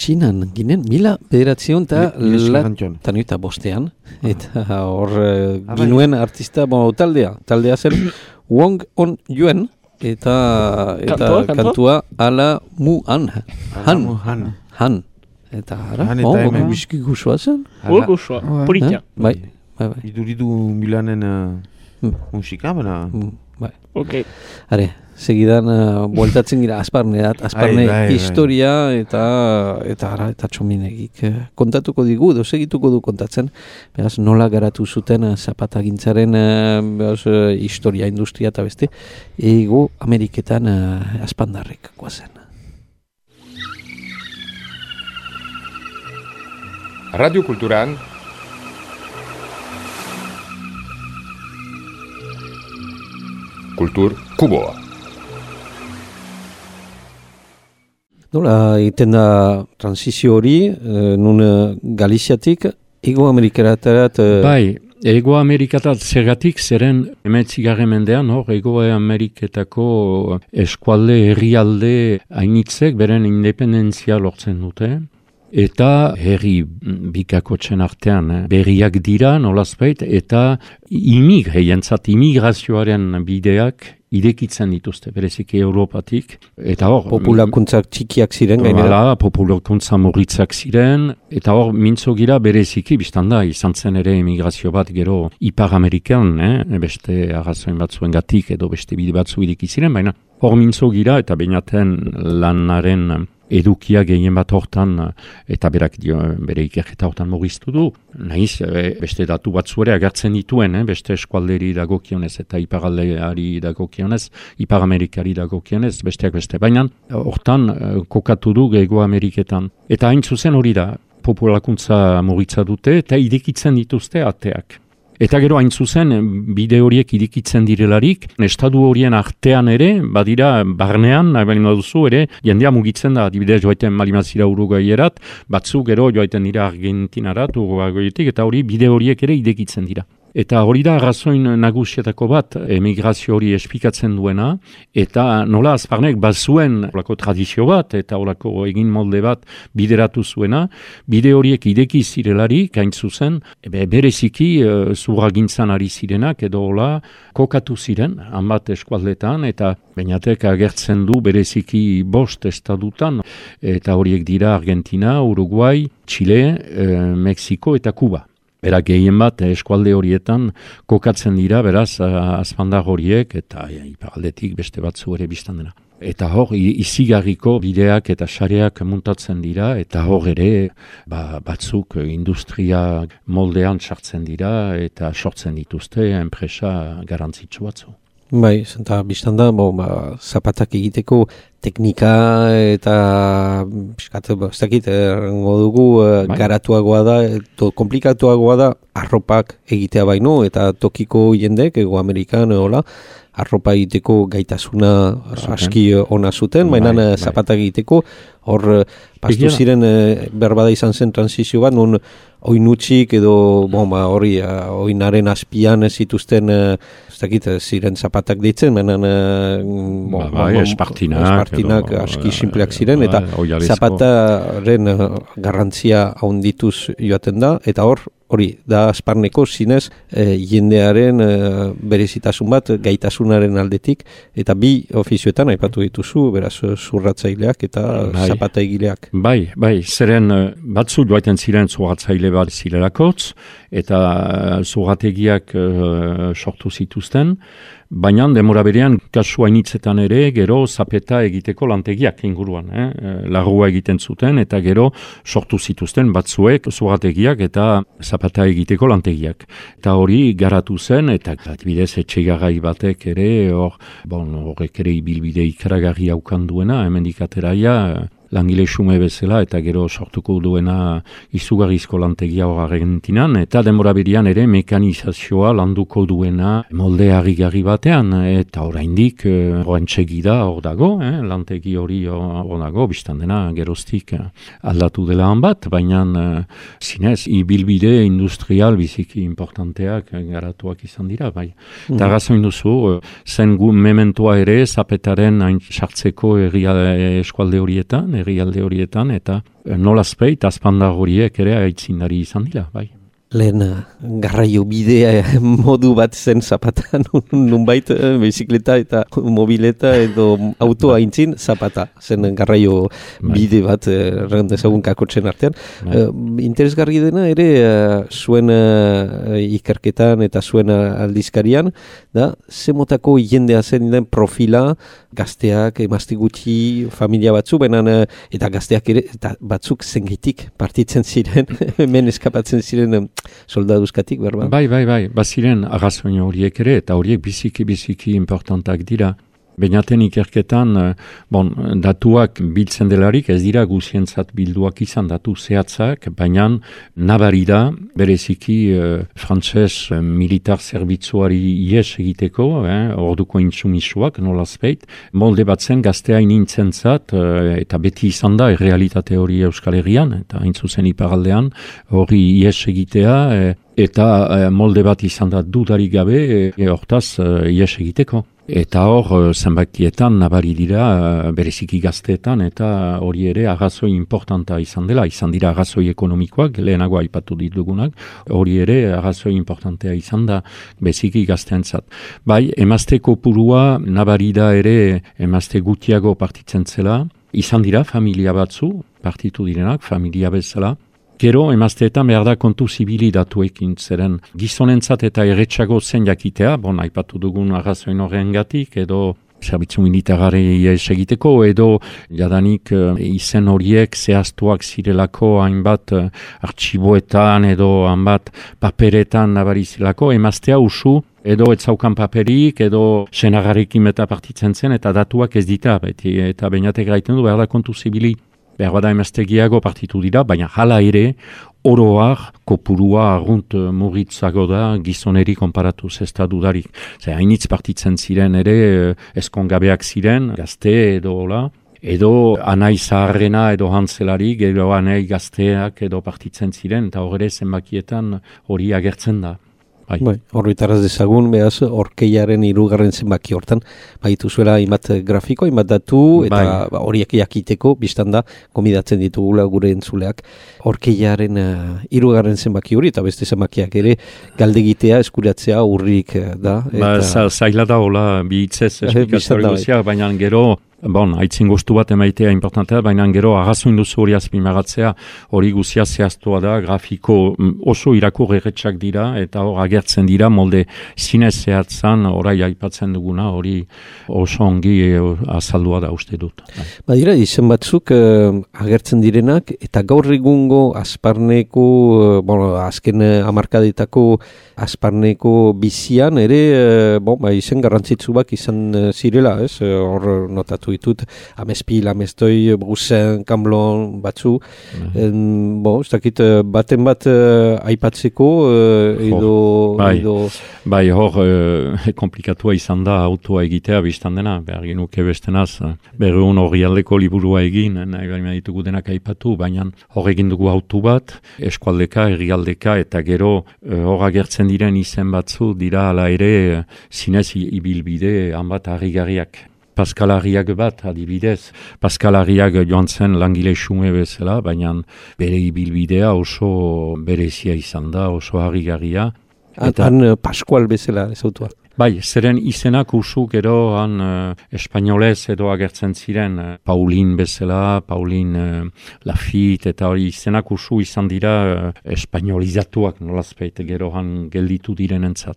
Speaker 3: Txinan ginen, mila bederatzion eta latan bostean, eta hor uh, ginuen artista bon, taldea, taldea zen Wong On Yuen, eta, eta kantua, kantua ala Mu Han, Han, Han, Han. Eta ara, oh, hemen bizki guzua zen.
Speaker 4: Go guzua, politia.
Speaker 3: Bai, bai, bai.
Speaker 5: Iduridu Milanen uh, musika, bera?
Speaker 3: Bai.
Speaker 4: Ok.
Speaker 3: Are, segidan uh, bueltatzen gira Azparneat, Azparne
Speaker 5: Ai, bai, bai.
Speaker 3: historia eta eta ara, eta Txominegik uh, kontatuko digu, edo segituko du kontatzen, beraz nola garatu zuten uh, zapatagintzaren uh, beraz, uh, historia, industria eta beste, ego Ameriketan uh, Azpandarrek guazen.
Speaker 1: Radio Kulturan Kultur Kuboa.
Speaker 3: Nola egiten da transizio hori, eh, nun eh, Galiziatik, Ego Amerikatarat... Eh,
Speaker 2: Bai, Ego Amerikatat zergatik zeren emetzigarren mendean, hor, Ego Ameriketako eskualde, herrialde hainitzek beren independentzia lortzen dute. Eta herri bikakotxen artean eh, berriak dira, nolazbait, eta imig, heientzat imigrazioaren bideak irekitzen dituzte, bereziki Europatik. Eta hor...
Speaker 3: Populakuntzak txikiak ziren, gainera.
Speaker 2: Hala, populakuntza murritzak ziren, eta hor mintzo gira bereziki, biztan da, izan zen ere emigrazio bat gero Ipar Amerikan, eh, beste arrazoen batzuen gatik edo beste bide batzu ireki ziren, baina hor mintzo gira eta bainaten lanaren edukia gehien bat hortan, eta berak dio, bere ikerketa hortan mugiztu du. Nahiz, beste datu batzu ere agertzen dituen, eh, beste eskualderi dagokionez eta iparaldeari dagokionez, Ipar Amerikari dagokionez, besteak beste. Baina hortan kokatu du Ego Ameriketan. Eta hain zuzen hori da, populakuntza muritza dute eta irekitzen dituzte ateak. Eta gero hain zuzen, bide horiek irekitzen direlarik, estadu horien artean ere, badira barnean, nahi balima duzu ere, jendea mugitzen da, adibidez joaiten malimazira Uruguayerat, batzu gero joaiten dira Argentinarat, Uruguayetik, eta hori bide horiek ere irekitzen dira. Eta hori da arrazoin nagusietako bat, emigrazio hori espikatzen duena, eta nola Azparnek bazuen olako tradizio bat, eta olako egin molde bat bideratu zuena, bide horiek ideki zirelarik, hain zuzen, ebe, bereziki e, zurragintzan ari zirenak, edo hola, kokatu ziren, hanbat eskualdetan, eta bainatek agertzen du bereziki bost estadutan, eta horiek dira Argentina, Uruguay, Chile, e, Mexiko eta Kuba. Era gehien bat eskualde horietan kokatzen dira, beraz, azpandar horiek eta ja, iparaldetik beste batzu ere biztan dena. Eta hor, izigarriko bideak eta sareak muntatzen dira, eta hor ere ba, batzuk industria moldean sartzen dira eta sortzen dituzte enpresa garantzitsu batzu.
Speaker 3: Bai, eta biztan da, bo, ba, zapatak egiteko teknika eta piskat, ez dakit, errango dugu bai. Garatuagoa da, to, komplikatuagoa da, arropak egitea baino, eta tokiko jendek, Ego Amerikan, hola, arropa egiteko gaitasuna zuten. Aski ona zuten, baina bai, zapatak egiteko, hor, pastu ziren, berbada izan zen transizio bat, nun oinutxik edo bon, ba, hori oinaren azpian zituzten ez dakit, ziren zapatak deitzen, baina bon,
Speaker 2: ba, bai, espartinak,
Speaker 3: espartinak edo, aski simpleak ziren, eta ba, zapataren garrantzia haundituz joaten da, eta hor, hori, da Azparneko zinez e, jendearen e, berezitasun bat gaitasunaren aldetik, eta bi ofizioetan aipatu dituzu, beraz zurratzaileak eta bai. Zapataigileak.
Speaker 2: Bai, bai, zeren batzu joaiten ziren zurratzaile bat zilerakotz, eta zurrategiak e, sortu zituzten, baina demora berean kasu hainitzetan ere gero zapeta egiteko lantegiak inguruan, eh? Larrua egiten zuten eta gero sortu zituzten batzuek zurrategiak eta zapata egiteko lantegiak. Eta hori garatu zen eta adibidez etxegarai batek ere hor, bon, horrek ere ibilbide ikaragarri haukan duena, hemendik ateraia langile xume bezala eta gero sortuko duena izugarrizko lantegia hor Argentinan, eta denbora berian ere mekanizazioa landuko duena molde harrigarri batean, eta oraindik horrentxegi da hor dago, eh? Lantegi hori hor dago, biztan dena geroztik aldatu dela han bat, baina zinez, ibilbide industrial biziki importanteak garatuak izan dira, bai. Mm. Eta razoin duzu, zen gu mementoa ere zapetaren hain sartzeko eskualde horietan, herrialde horietan, eta nolazpeit azpandar horiek ere aitzindari izan dira, bai.
Speaker 3: lehen garraio bidea modu bat zen zapata, nunbait bizikleta eta mobileta edo autoa intzin zapata, zen garraio bide bat errandezagun kakotzen artean. Uh, interesgarri dena ere uh, zuen uh, ikerketan eta zuen aldizkarian, da, zemotako jendea zen den profila, gazteak, emazte gutxi, familia batzu, benan, eta gazteak ere, eta batzuk zengitik partitzen ziren, hemen eskapatzen ziren soldaduzkatik, berba?
Speaker 2: Bai, bai, bai, baziren arrazoin horiek ere, eta horiek biziki-biziki importantak dira. Beinaten ikerketan, bon, datuak biltzen delarik, ez dira guzientzat bilduak izan datu zehatzak, baina nabari da, bereziki eh, frantses militar zerbitzuari ies egiteko, eh, orduko intsumisuak, nolazpeit, molde batzen gaztea inintzen-zat, eh, eta beti izan da, errealitate hori Euskal Herrian, eta hain zuzen iparaldean, hori ies egitea, eh, eta eh, molde bat izan da dudarik gabe, eh, hortaz eh, ies egiteko. Eta hor, zenbakietan nabari dira bereziki gazteetan, eta hori ere arrazoi importanta izan dela, izan dira arrazoi ekonomikoak, lehenago aipatu ditugunak, hori ere arrazoi importantea izan da bereziki gazteentzat. Bai, emazte kopurua nabari da ere emazte gutiago partitzen zela, izan dira familia batzu, partitu direnak, familia bezala. Gero, emazteetan behar da kontu zibili datuekin, zeren gizonentzat eta erretxago zen jakitea, bon, aipatu dugun arrazoin horrengatik, edo zerbitzu militarari egiteko, edo jadanik izen horiek zehaztuak zirelako hainbat artxiboetan, edo hainbat paperetan nabarizilako, emaztea usu, edo ez zaukan paperik, edo senagarekin eta partitzen zen, eta datuak ez dita, beti, eta beinatek gaiten du behar da kontu zibili. Behar bada emaztegiago partitu dira, baina hala ere, oroar, kopurua argunt murritzago da gizoneri konparatuz ez da dudarik. Zer, hainitz partitzen ziren ere, eskongabeak ziren, gazte edo hola, edo anai zaharrena edo hantzelari, edo anai gazteak edo partitzen ziren, eta horre zenbakietan hori agertzen da. Bai.
Speaker 3: Bai, horretaraz dezagun, behaz, orkeiaren hirugarren zenbaki hortan, baitu zuela imat grafiko, imat datu, eta bai. Horiek jakiteko, biztan da, gomidatzen ditugula gure entzuleak, orkeiaren hirugarren uh, zenbaki hori, eta beste zenbakiak ere, galdegitea, eskuratzea urrik da.
Speaker 2: Ba, eta... zaila da, hola, bihitzez esplikazio guzia, baina gero, bon, haitzin gustu bat emaitea importantea, baina gero arrazoin duzu hori azpimagatzea, hori guzia zehaztua da, grafiko oso irakur erretxak dira, eta hor agertzen dira, molde zinez zehatzan, orai aipatzen duguna, hori oso ongi azaldua da uste dut.
Speaker 3: Ba dira, izen batzuk eh, agertzen direnak, eta gaur egungo Asparneko, eh, bon, azken hamarkadetako Asparneko bizian, ere, eh, bon, ba, izen garrantzitsuak izan zirela, ez, hor notatu ditut, Amespil, Amestoi, Brusen, Kamblon, batzu, en, bo, ez dakit, baten bat uh, aipatzeko, uh, edo...
Speaker 2: Bai,
Speaker 3: edo...
Speaker 2: bai hor, uh, komplikatua izan da autoa egitea biztan dena, behar genuke bestenaz, berreun hori aldeko liburua egin, nahi baina ditugu denak aipatu, baina hor egin dugu auto bat, eskualdeka, herrialdeka, eta gero hor uh, agertzen diren izen batzu, dira ala ere, zinez ibilbide, hanbat harrigarriak. Pascal Arriaga bat, adibidez. Pascal Arriaga joan zen langile xume bezala, baina bere ibilbidea oso berezia izan da, oso harrigarria.
Speaker 3: Eta han Pascual bezala ez autua.
Speaker 2: Bai, zeren izenak usu gero han uh, espainolez edo agertzen ziren uh, Paulin bezala, Paulin uh, Lafitte eta hori izenak usu izan dira uh, espainolizatuak nolazpeit gero han gelditu direnentzat.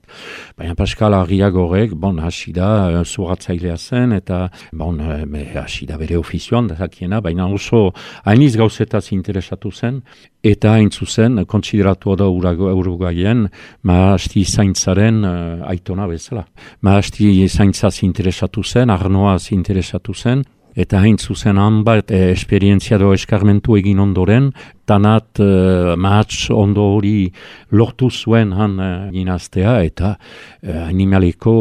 Speaker 2: Baina Pascal Arriaga horrek, bon, hasi da uh, zuratzailea zen eta bon, uh, hasi da bere ofizioan dakiena, baina oso hainiz gauzetaz interesatu zen. Eta hain zuzen, kontsideratua da Uruguayen, maasti zaintzaren uh, aitona bezala. Maasti zaintzaz interesatu zen, arnoaz interesatu zen, eta hain zuzen hanbat eh, esperientzia do eskarmentu egin ondoren, tanat uh, mahats ondo hori lortu zuen han uh, ginaztea, eta uh, animaleko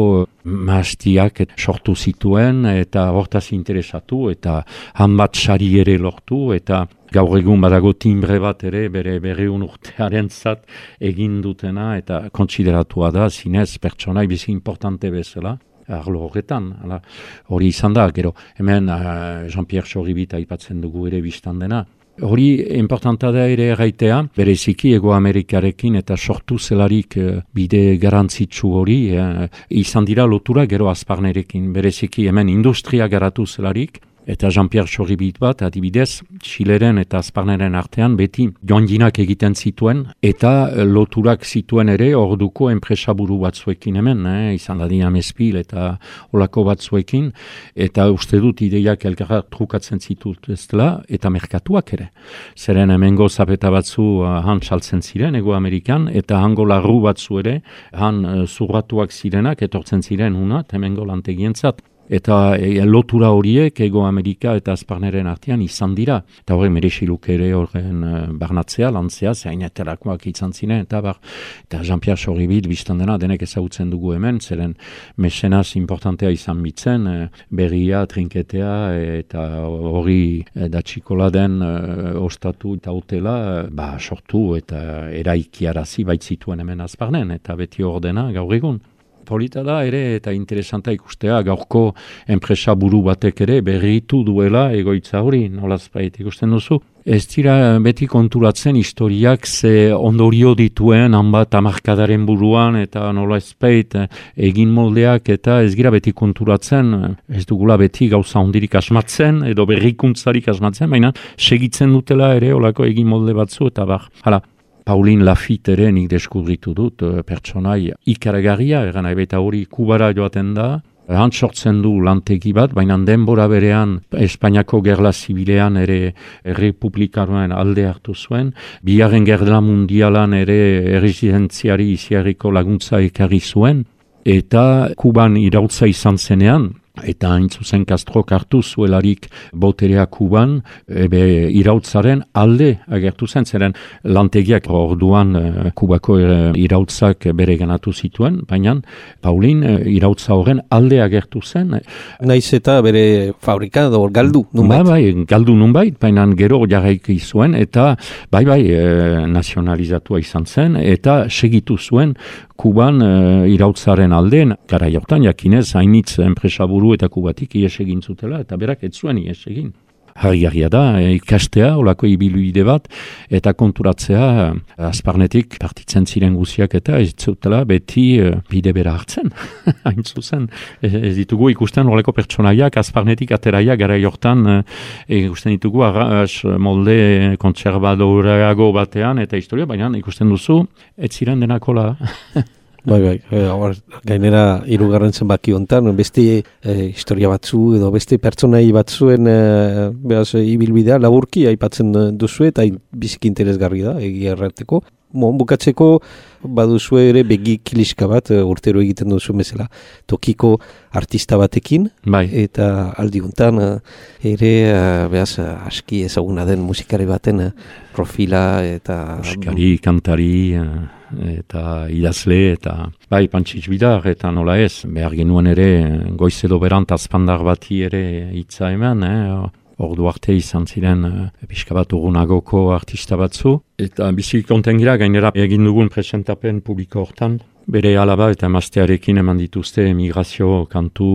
Speaker 2: maastiak sortu zituen, eta hortaz interesatu, eta hanbat sari ere lortu, eta gaur egun badago timbre bat ere bere berreun urtearen zat egin dutena, eta kontsideratua da, zinez pertsonai bizi importante bezala, arlo horretan, hori izan da, gero, hemen uh, Jean-Pierre Choribit aipatzen dugu ere biztan dena, Hori importanta da ere erraitea, bereziki Ego Amerikarekin eta sortu zelarik bide garantzitsu hori, eh, izan dira lotura gero Azparnerekin, bereziki hemen industria garatu zelarik, eta Jean-Pierre Txorribit bat, adibidez, Xileren eta Azparneren artean beti joanginak egiten zituen, eta loturak zituen ere orduko enpresaburu batzuekin hemen, eh? izan dadian Espil eta olako batzuekin, eta uste dut ideiak elkarra trukatzen zitut ez dela, eta merkatuak ere. Zeren hemengo zapeta batzu uh, han saltzen ziren, Ego Amerikan, eta hango larru batzu ere, han uh, zurratuak zirenak, etortzen ziren hunat, hemengo lantegientzat. Eta e, lotura horiek Ego Amerika eta Azparneren artean izan dira. Eta hori meresiluk ere horren uh, barnatzea, lantzea, zaineterakoak izan ziren, eta bar, eta Jean-Pierre Txorribit biztan dena, denek ezagutzen dugu hemen, zeren mesenaz importantea izan bitzen, uh, berria, trinketea, eta hori uh, da txikola den uh, ostatu eta hotela, uh, ba, sortu eta eraikiarazi baitzituen hemen Azparnen, eta beti ordena gaur egun. Polita da ere eta interesanta ikustea gaurko enpresa buru batek ere berritu duela egoitza hori, nolazpait ikusten duzu. Ez dira beti konturatzen historiak ze ondorio dituen hanbat hamarkadaren buruan eta nolazpait egin moldeak eta ez gira beti konturatzen, ez dugula beti gauza ondirik asmatzen edo berrikuntzarik asmatzen, baina segitzen dutela ere olako egin molde batzu eta bar, hala. Pauline Lafitte ere nik deskubritu dut, pertsonai ikaragarria, eran baita hori Kubara joaten da, han sortzen du lantegi bat, baina denbora berean Espainiako gerla zibilean ere republikaroen alde hartu zuen, bigarren gerla mundialan ere erresidentziari iziarriko laguntza ekarri zuen, eta Kuban irautza izan zenean, eta hain zuzen Castrok hartu zuelarik boterea Kuban, ebe irautzaren alde agertu zen, zeren lantegiak orduan uh, Kubako uh, irautzak bere ganatu zituen, baina Pauline uh, irautza horren alde agertu zen.
Speaker 3: Naiz eta bere fabrika edo galdu nunbait.
Speaker 2: Ba, bai, galdu nunbait, baina gero jarraiki zuen, eta bai bai uh, nazionalizatua izan zen, eta segitu zuen Kuban uh, irautzaren alden, gara jortan jakinez, hainitz enpresaburu eta Kubatik ies egin zutela, eta berak ez zuen ies egin. Harri-harria da, ikastea, olako ibiluide bat, eta konturatzea, Azparnetik partitzen ziren guziak eta ez zutela beti uh, bide bera hartzen, hain zuzen. Ez, ez ditugu ikusten olako pertsonaiak, Azparnetik ateraia gara jortan, uh, ikusten ditugu arras molde kontserbadoreago batean, eta historia, baina ikusten duzu, ez ziren denakola.
Speaker 3: Bai, bai, e, gainera hirugarren zenbaki hontan beste e, historia batzu edo beste pertsonai batzuen e, behaz, ibilbidea laburki aipatzen duzu eta biziki interesgarri da, egia errateko. Bon, bukatzeko baduzu ere begi kiliska bat urtero egiten duzu bezala tokiko artista batekin,
Speaker 2: bai.
Speaker 3: Eta aldi hontan ere behaz, aski ezaguna den musikari baten profila eta...
Speaker 2: Musikari, kantari... eta idazle, eta bai, Pantsitz Bidar, eta nola ez, behar genuen ere, goiz edo berant azpandar bati ere hitza eman, eh? Ordu arte izan ziren uh, pixka bat urunagoko artista batzu, eta bizik konten gira, gainera egin dugun presentapen publiko hortan, bere alaba eta emaztearekin eman dituzte emigrazio kantu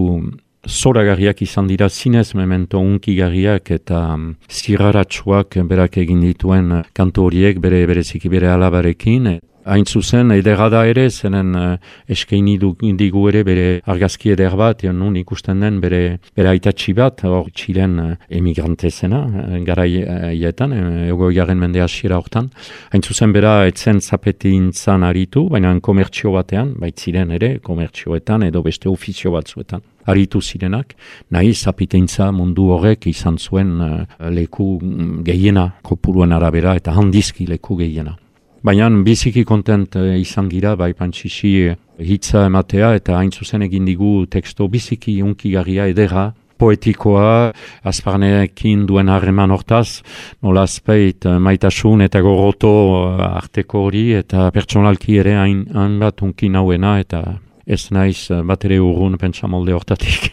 Speaker 2: zoragarriak izan dira, zinez memento unkigarriak eta um, zirraratsuak berak egin dituen kantu horiek bere bereziki bere alabarekin. Hain zuzen, edera da ere, zenen uh, eskaini digu ere bere argazki eder bat, nun ikusten den bere, bere aitatxi bat, hor Txilen uh, emigrante zena, uh, gara haietan, uh, ego garen mende hasiera hortan. Hain zuzen, bera etzen zapetintzan aritu, baina komertzio batean, baitziren ere, komertzioetan edo beste ofizio batzuetan. Aritu zirenak, nahi zapitintza mundu horrek izan zuen uh, leku gehiena, kopuruen arabera, eta handizki leku gehiena. Baina biziki kontent izan gira, bai Pantsitzi hitza ematea, eta hain zuzen egin digu teksto biziki unkigarria edera, poetikoa, Azparnekin duen harreman hortaz, nolazpeit maitasun eta goroto arteko hori, eta pertsonalki ere hain bat unki nauena, eta ez naiz bat ere urrun pentsamolde hortatik.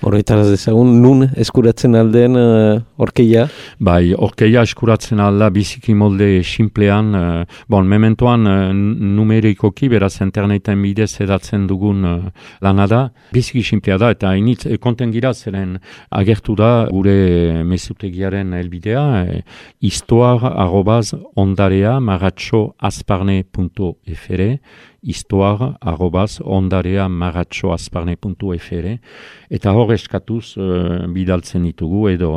Speaker 3: Horretara dezagun, nun eskuratzen aldeen uh, orkeia?
Speaker 2: Bai, orkeia eskuratzen alda biziki molde simplean, uh, bon, mementoan uh, numerikoki, beraz interneten bidez edatzen dugun uh, lana da, biziki simplea da, eta initz, e, konten gira zeren agertu da gure mezutegiaren helbidea, e, histoire arrobaz ondarea maratxo azparne punto fr, histoire arrobaz ondarea maratxo azparne punto fr, eta hor eskatuz uh, bidaltzen ditugu edo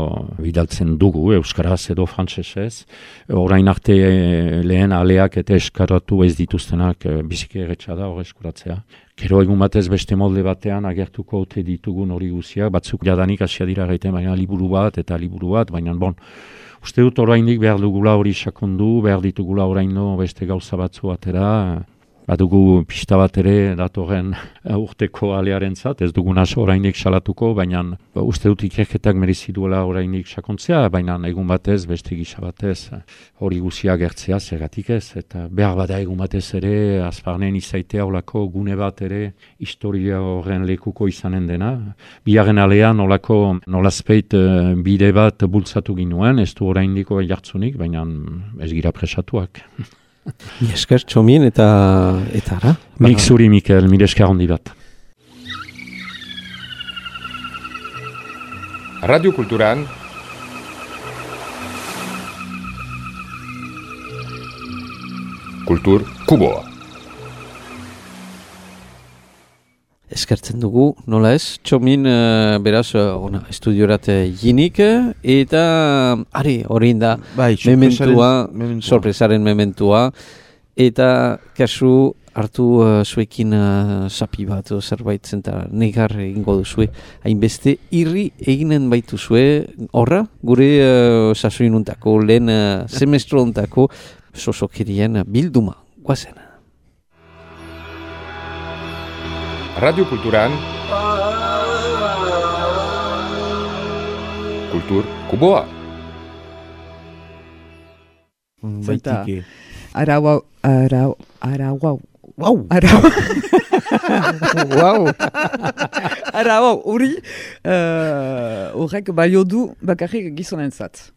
Speaker 2: bidaltzen dugu euskaraz edo frantsesez. Orain arte eh, lehen aleak eta eskaratu ez dituztenak eh, biziki erretsa da hor eskuratzea. Gero egun batez beste molde batean agertuko ote ditugun hori guziak, batzuk jadanik hasia dira gaiten, baina liburu bat eta liburu bat, baina bon, uste dut oraindik behar dugula hori sakondu, behar ditugula oraino beste gauza batzu atera, badugu pista bat ere datorren urteko alearen zat, ez dugun aso orainik salatuko, baina uste dut ikerketak merezi duela orainik sakontzea, baina egun batez, beste gisa batez, hori guzia gertzea zergatik ez, eta behar bada egun batez ere, azparnen izaitea olako gune bat ere, historia horren lekuko izanen dena. Bigarren alean olako nolazpeit bide bat bultzatu ginuen, ez du oraindiko jartzunik, baina ez gira presatuak.
Speaker 3: Esker, Txomin, eta eta ara?
Speaker 2: Nik zuri, Mikel, mire esker handi bat.
Speaker 1: Radio Kulturan Kultur Kuboa.
Speaker 3: Eskertzen dugu, nola ez? Txomin, uh, beraz, uh, ona, estudiorat jinik, eta, ari, hori da,
Speaker 5: bai,
Speaker 3: mementua,
Speaker 5: mementua,
Speaker 3: sorpresaren mementua, eta kasu hartu uh, zuekin uh, sapi bat, o, zerbait zenta negar egingo duzue, hainbeste irri eginen baitu zue, horra, gure uh, sasoinuntako, lehen uh, semestrontako sosokirien bilduma, guazen.
Speaker 1: Radio Kulturan Kultur Kuboa.
Speaker 5: Baitike.
Speaker 6: Arau, arau, arau,
Speaker 5: Wow!
Speaker 6: arau. Wow! Arau, hori, uh, horrek balio du bakarrik gizonentzat.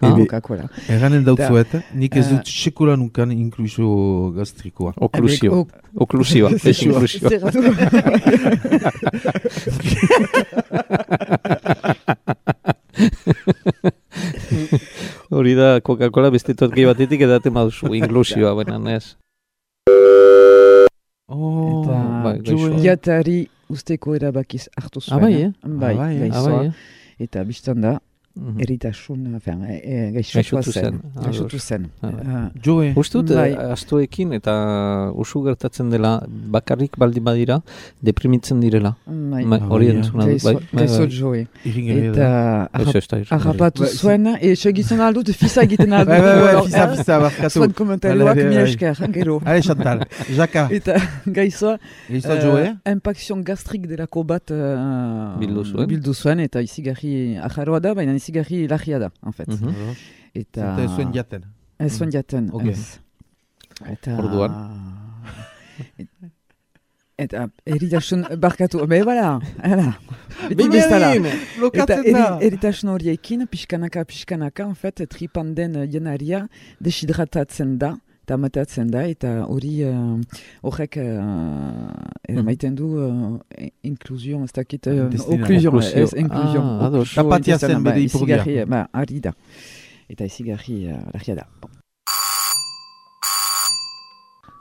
Speaker 3: Ah,
Speaker 6: Coca-Cola.
Speaker 5: Erranen dautzuet, nik ez
Speaker 6: eh,
Speaker 5: dut sekula nukan inklusio gastrikoa.
Speaker 3: Oklusio. Oklusioa. Ez inklusio. Hori da Coca-Cola beste totki batetik edaten baduzu inklusioa, benan ez.
Speaker 5: Oh,
Speaker 6: Eta
Speaker 3: bai, gaixoa.
Speaker 6: jatari usteko erabakiz hartu zuen.
Speaker 3: Ah, bai, eh?
Speaker 6: Bai,
Speaker 5: Ah, bai, eh?
Speaker 6: gaixoa.
Speaker 3: Ah, bai,
Speaker 6: Eta biztan da,
Speaker 3: Mhm.
Speaker 6: eritasun, enfin, e, e, gaixotua
Speaker 3: Gaixotu
Speaker 6: zen.
Speaker 3: zen, ah,
Speaker 6: Gaixotu
Speaker 3: ados.
Speaker 6: zen.
Speaker 3: Ah.
Speaker 6: Uh,
Speaker 5: Joe,
Speaker 3: Ustut,
Speaker 6: Bai.
Speaker 3: eh, astoekin eta usu gertatzen dela, bakarrik baldin badira, deprimitzen direla.
Speaker 6: bai,
Speaker 3: Ma- Hori
Speaker 5: bai,
Speaker 3: entzuna dut,
Speaker 6: gaixo,
Speaker 3: bai. bai,
Speaker 6: gaixo
Speaker 3: bai.
Speaker 6: joe.
Speaker 5: irringarria
Speaker 6: Eta
Speaker 5: da.
Speaker 3: Ez
Speaker 6: arra-
Speaker 3: ez da irrigarria.
Speaker 6: harrapatu
Speaker 5: Bai,
Speaker 6: zuen, e, segitzen aldut, fisa egiten aldut.
Speaker 5: Bai, bai, bai,
Speaker 6: alors,
Speaker 5: fisa,
Speaker 6: eh,
Speaker 5: fisa, barkatu.
Speaker 6: Zuen komentarioak
Speaker 5: Bai, bai,
Speaker 6: mi
Speaker 5: bai.
Speaker 6: esker, gero.
Speaker 5: Allez, Chantal, Jaka,
Speaker 6: Eta gaixoa,
Speaker 5: Eizta
Speaker 6: eh,
Speaker 5: Joe?
Speaker 6: impacción gastrik delako bat uh,
Speaker 3: Bildu zuen.
Speaker 6: bildu zuen, eta izigarri ajarroa da, baina izigarri larria da, en fait.
Speaker 3: Mhm.
Speaker 6: Eta
Speaker 5: Eta ez zuen jaten.
Speaker 6: ez zuen jaten.
Speaker 5: Ok.
Speaker 6: ez. Eta...
Speaker 3: Orduan?
Speaker 6: Et- Eta eritasun barkatu, be bala, hala, beti bezala. Eta
Speaker 5: Blokatzen
Speaker 6: eri,
Speaker 5: da.
Speaker 6: eritasun horiekin, pixkanaka, pixkanaka, en fait, tripan den jenaria deshidratatzen da, eta matatzen da, eta hori uh, horrek uh, maiten du uh, inklusion, ez dakit, uh,
Speaker 5: Intestinal.
Speaker 6: oklusion,
Speaker 3: Oklusio.
Speaker 6: ez inklusion.
Speaker 3: Ah, ados.
Speaker 6: Oklusio
Speaker 5: Apatia zen
Speaker 6: intestinal, ba,
Speaker 5: bere ipurdia.
Speaker 6: izigarri, ba, ari da. Eta izigarri uh, larria da. Bon.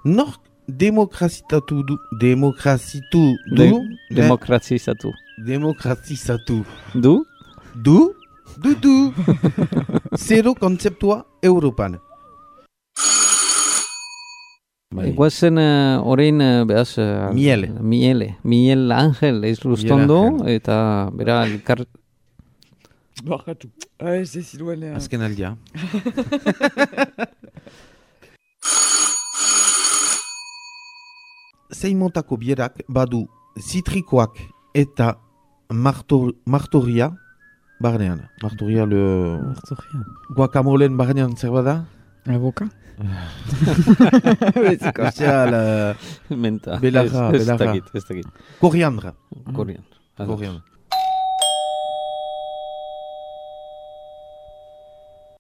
Speaker 5: Nork demokrazitatu du, demokrazitu du,
Speaker 3: De-
Speaker 5: ne-
Speaker 3: Demokratizatu.
Speaker 5: demokrazizatu
Speaker 3: Du?
Speaker 5: du, du, du. Zero kontzeptua Europan. Bai.
Speaker 3: Guazen uh, orain, uh, behaz... Uh,
Speaker 5: Miele.
Speaker 3: Miele. Miel Angel ez lustondo,
Speaker 5: Angel.
Speaker 3: eta bera elkar...
Speaker 6: Barkatu. Ez ez ziruen...
Speaker 5: Azken aldia. Zein montako bierak badu zitrikoak eta martor, martoria barnean. Martoria le... Guacamolen barnean zer bada?
Speaker 6: Avoka?
Speaker 5: Special,
Speaker 3: Menta.
Speaker 5: Belarra,
Speaker 3: Ez- ez
Speaker 5: belarra.
Speaker 3: dakit, ez dakit.
Speaker 5: koriandra.
Speaker 3: Korian.
Speaker 5: Koriandra.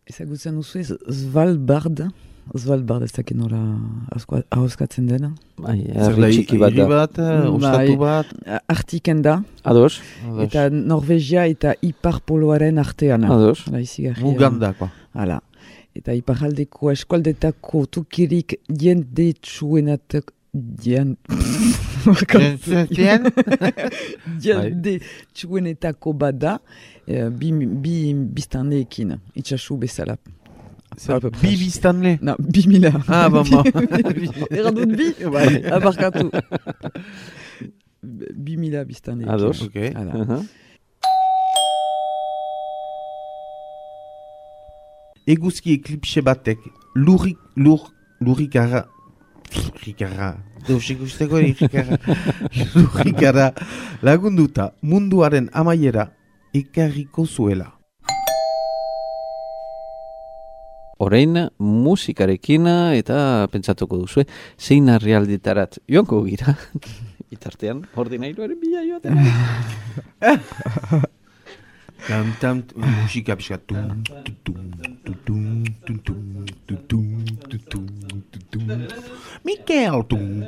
Speaker 6: Ezagutzen duzu ez Svalbard? Svalbard ez dakit nola ahoskatzen dena.
Speaker 3: Bai,
Speaker 5: Zer
Speaker 3: herri
Speaker 5: da,
Speaker 3: txiki bat
Speaker 5: hiri
Speaker 3: da.
Speaker 5: bat, eh, ostatu bat.
Speaker 6: Artiken da,
Speaker 3: Ados?
Speaker 6: eta Norvegia eta Ipar Poloaren artean.
Speaker 3: Ados?
Speaker 6: Hala, izigarria.
Speaker 5: Mugandakoa.
Speaker 6: Hala. Eta iparaldeko eskualdetako tukirik jendetsuenatak Dian...
Speaker 5: Dian?
Speaker 6: Jendetsuenetako bada, eh, bi, bi biztanleekin, itxasu bezala.
Speaker 5: Bi biztanle?
Speaker 6: No, bi mila.
Speaker 5: Ah, bon, bon.
Speaker 6: Erran dut bi?
Speaker 5: Bai.
Speaker 6: Abarkatu. Bi mila biztanleekin.
Speaker 3: Ados?
Speaker 5: Ok.
Speaker 6: Hala.
Speaker 3: Uh-huh.
Speaker 5: Eguzki eklipse batek lurrik, lur, lurrikara, lurrikara, deus ikusteko lurrikara, lurrikara lagunduta munduaren amaiera ekarriko zuela.
Speaker 3: Orain musikarekin eta pentsatuko duzue, zein herrialdetarat joango gira. Bitartean, ordinairuaren bila joaten.
Speaker 5: Tam, tam, musika pixka. Tum, tum, tum, tum, tum, tum, tum, tum, tum, tum, tum, tum. Mikel! Tum.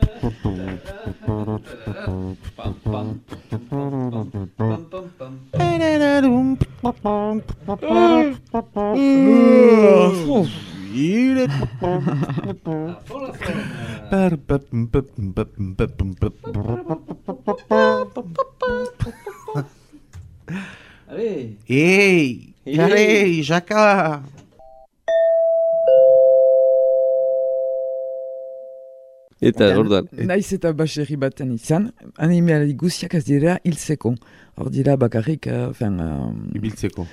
Speaker 3: Allez.
Speaker 5: Ei! Allez, Jaka!
Speaker 3: Eta orduan.
Speaker 6: Naiz eta baserri baten izan, animali guziak ez dira hiltzeko. Hor dira bakarrik, uh, fin, uh,
Speaker 5: Ibiltzeko.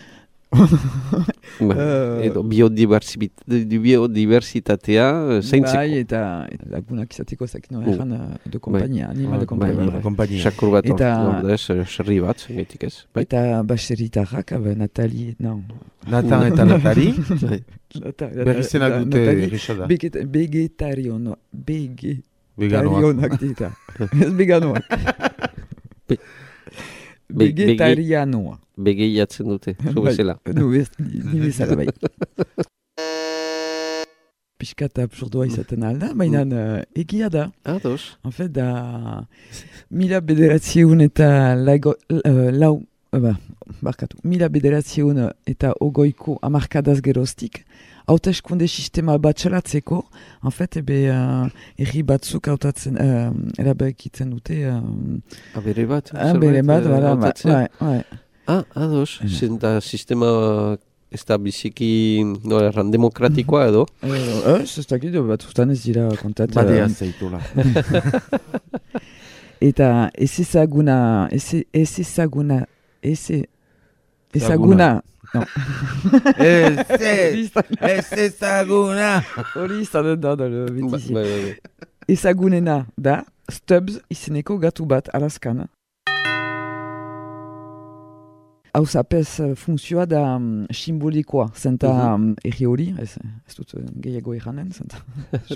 Speaker 3: Ba,
Speaker 6: Eh,
Speaker 3: edo biodiversibit- biodiversitatea zeintzeko.
Speaker 6: bai, eta eta lagunak izateko ezak no egan uh, de kompainia, animal de
Speaker 3: Bai,
Speaker 6: kompainia.
Speaker 3: bai.
Speaker 5: Kompainia.
Speaker 3: Sakur bat
Speaker 6: Eta-
Speaker 3: ordu ez, serri bat, gehitik ez. Bai.
Speaker 6: Eta baserritarrak, uh, Natali, non.
Speaker 5: Natan eta Natali.
Speaker 3: Bai.
Speaker 6: Nata-
Speaker 5: Berrizenak
Speaker 6: Nata-
Speaker 5: dute
Speaker 6: Natali,
Speaker 5: errexada.
Speaker 6: Veget- Vegetariono,
Speaker 5: Veganoak.
Speaker 6: vegetarionak dita. Ez veganoak.
Speaker 3: Be- be-
Speaker 6: Vegetarianoa.
Speaker 3: Begeiatzen dute, zu
Speaker 6: Bai.
Speaker 3: bezala.
Speaker 6: Nu, ez, ni bezala bai. Piskat absurdua izaten alda, baina uh, egia da.
Speaker 3: Ados.
Speaker 6: En fait, da mila bederatziun eta laigo, uh, lau, uh, ba, barkatu, mila bederatziun eta ogoiko amarkadaz geroztik, hauteskunde sistema bat txalatzeko, en fait, ebe, uh, erri batzuk hautatzen, uh, erabakitzen dute, uh,
Speaker 3: Abere bat.
Speaker 6: ah, bere bat,
Speaker 3: eh,
Speaker 6: bada,
Speaker 3: hautatzea.
Speaker 6: bai, bai.
Speaker 3: Ah, ados. Zenta sistema ez da biziki no, erran demokratikoa edo.
Speaker 6: Eh, ez, ez dakit, batzutan ez dira kontat.
Speaker 5: Badea
Speaker 6: uh,
Speaker 5: zeitola.
Speaker 6: Eta ez ezaguna, ez ez ezaguna, ez e- ezaguna, no.
Speaker 5: Ez,
Speaker 6: Hori izan-
Speaker 5: ez ezaguna.
Speaker 6: hori izanen da, da,
Speaker 3: Ba-
Speaker 6: betizi.
Speaker 3: bai, bai, bai.
Speaker 6: Ezagunena da, Stubbs izeneko gatu bat Alaskan. Hau zapez uh, funtzioa da um, simbolikoa, zenta um, erri hori, ez, ez dut uh, gehiago erranen, zenta.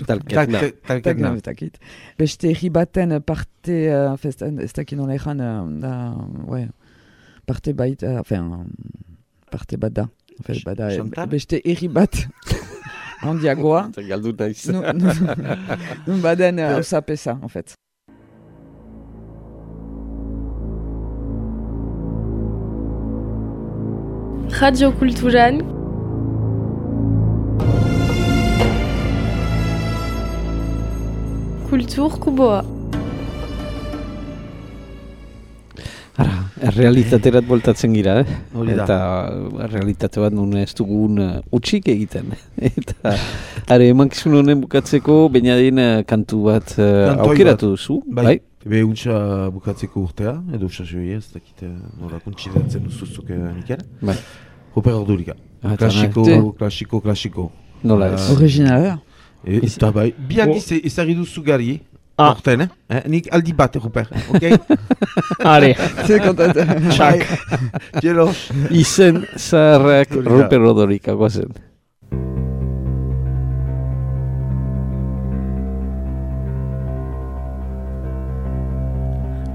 Speaker 3: Talketna.
Speaker 5: Talketna.
Speaker 6: Ez dakit. Beste erri baten parte, uh, fest, ez dakit nola erran, uh, da, ouais, parte bait, uh, enfin, um, parte bat da. En fait, bada,
Speaker 5: Chantal?
Speaker 6: beste erri bat handiagoa.
Speaker 3: Galdu naiz.
Speaker 6: Nu- nu- Nun baden uh, hau zapeza, en fait.
Speaker 7: Radio Kulturan Kultur Kuboa.
Speaker 3: Ara, errealitaterat voltatzen gira, eh?
Speaker 5: Hori da.
Speaker 3: Eta uh, realitate bat nun ez dugun uh, utxik egiten. Eta, are, emankizun honen bukatzeko, bainadien uh, kantu bat uh,
Speaker 5: Kantoi
Speaker 3: aukeratu duzu,
Speaker 5: Bai.
Speaker 3: bai?
Speaker 5: Ebe untsa bukatzeko urtea, edo sasoi ez, dakit nola kontsidatzen duzuzuk Mikel.
Speaker 3: Bai.
Speaker 5: Ruper Ordurika.
Speaker 3: Ah, eta
Speaker 5: Klasiko,
Speaker 6: Te-
Speaker 5: klasiko, klasiko.
Speaker 3: Nola ez?
Speaker 5: Ah.
Speaker 6: Originala.
Speaker 5: E, eta bai, biak iz ezagri duzu gari,
Speaker 4: Ah.
Speaker 5: orten, eh? eh? Nik aldi bat, Ruper, ok?
Speaker 4: Are,
Speaker 6: Ze kontat.
Speaker 5: Txak. Jelos.
Speaker 3: Izen zaharrak
Speaker 5: Hori da.
Speaker 3: Ruper Odorika guazen.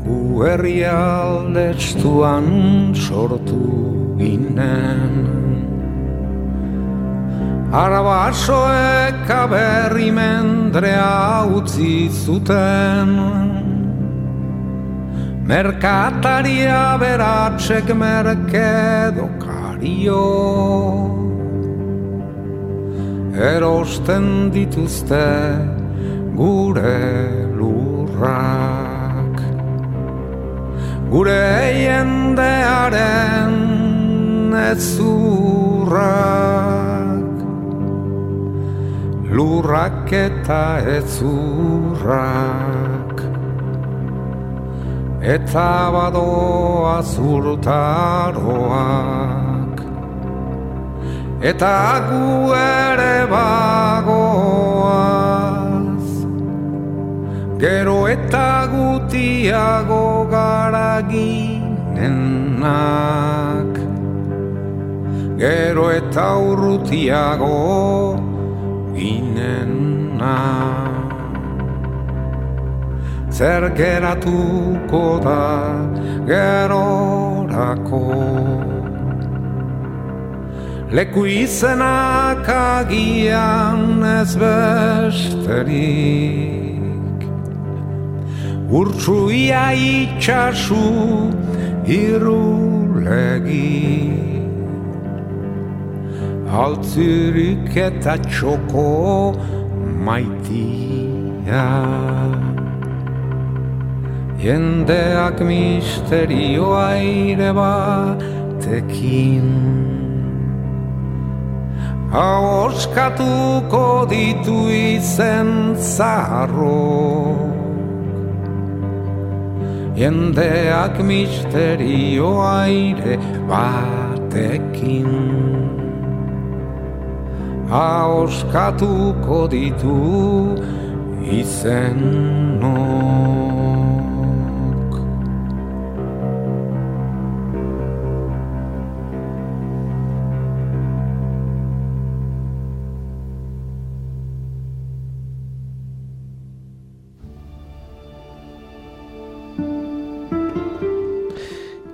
Speaker 8: gu herrialde estuan sortu ginen. Arabasoek aberri mendrea utzi zuten, merkataria beratsek merkedokario erosten dituzte gure lurrak, gure jendearen ezurrak, lurrak eta ezurrak, eta badoa zurtaroak, eta gu ere bagoaz, gero eta gutiago gara ginenak, gero eta urrutiago ginenak. Zer geratuko da gerorako, leku izenak agian ez besterik, urtsuia itxasu irulegi, altzirik eta txoko maitia. Jendeak misterioa ere batekin ahoskatuko ditu izen zaharrok. Jendeak misterioa ere batekin ahoskatuko ditu izenok.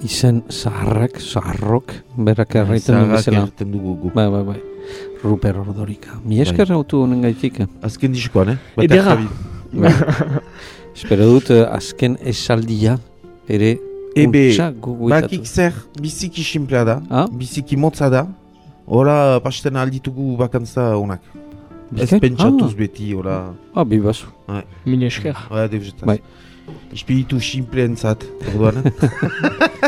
Speaker 3: Izen zaharrak, zaharrok, berak erraiten duen bezala.
Speaker 5: Zaharrak erraiten dugu gu.
Speaker 3: Bai, bai, bai. Ruper Ordorika. Mi esker autu honen gaitik.
Speaker 5: Azken diskoan, eh?
Speaker 4: Edera.
Speaker 3: Espero dut azken esaldia ere untsa gogoetatu.
Speaker 5: Bakik zer, biziki simplea da,
Speaker 3: ah?
Speaker 5: biziki motza da, ora pasten alditugu bakantza honak. Ez pentsatuz
Speaker 3: ah.
Speaker 5: beti, ora...
Speaker 3: Ah, bibazu.
Speaker 4: Mil esker.
Speaker 5: Bai, debzetaz.
Speaker 3: Bai.
Speaker 5: Espiritu simpleentzat, orduan.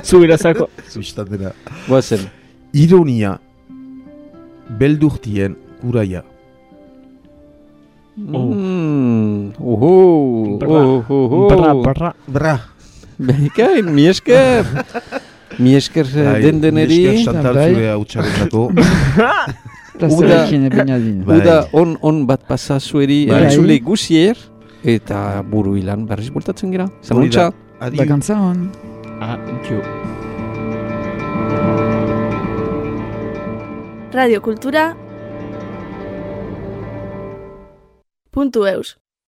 Speaker 4: Zuberazako.
Speaker 5: Zubistan dena.
Speaker 3: Boazen.
Speaker 5: Ironia, beldurtien kuraia.
Speaker 3: Oh. Mm. Oho.
Speaker 4: Bra.
Speaker 3: Oho.
Speaker 4: Bra, bra.
Speaker 5: Bra.
Speaker 3: Bekain, mi esker. Mi esker den deneri.
Speaker 5: Mi esker Chantal zure hautsaren dako.
Speaker 3: Uda, uda on, on bat pasa zueri entzule guzier. Eta buru ilan berriz bultatzen gira. Zanuntza.
Speaker 6: Bakantza hon.
Speaker 4: Adio.
Speaker 7: Radio Kultura puntu eus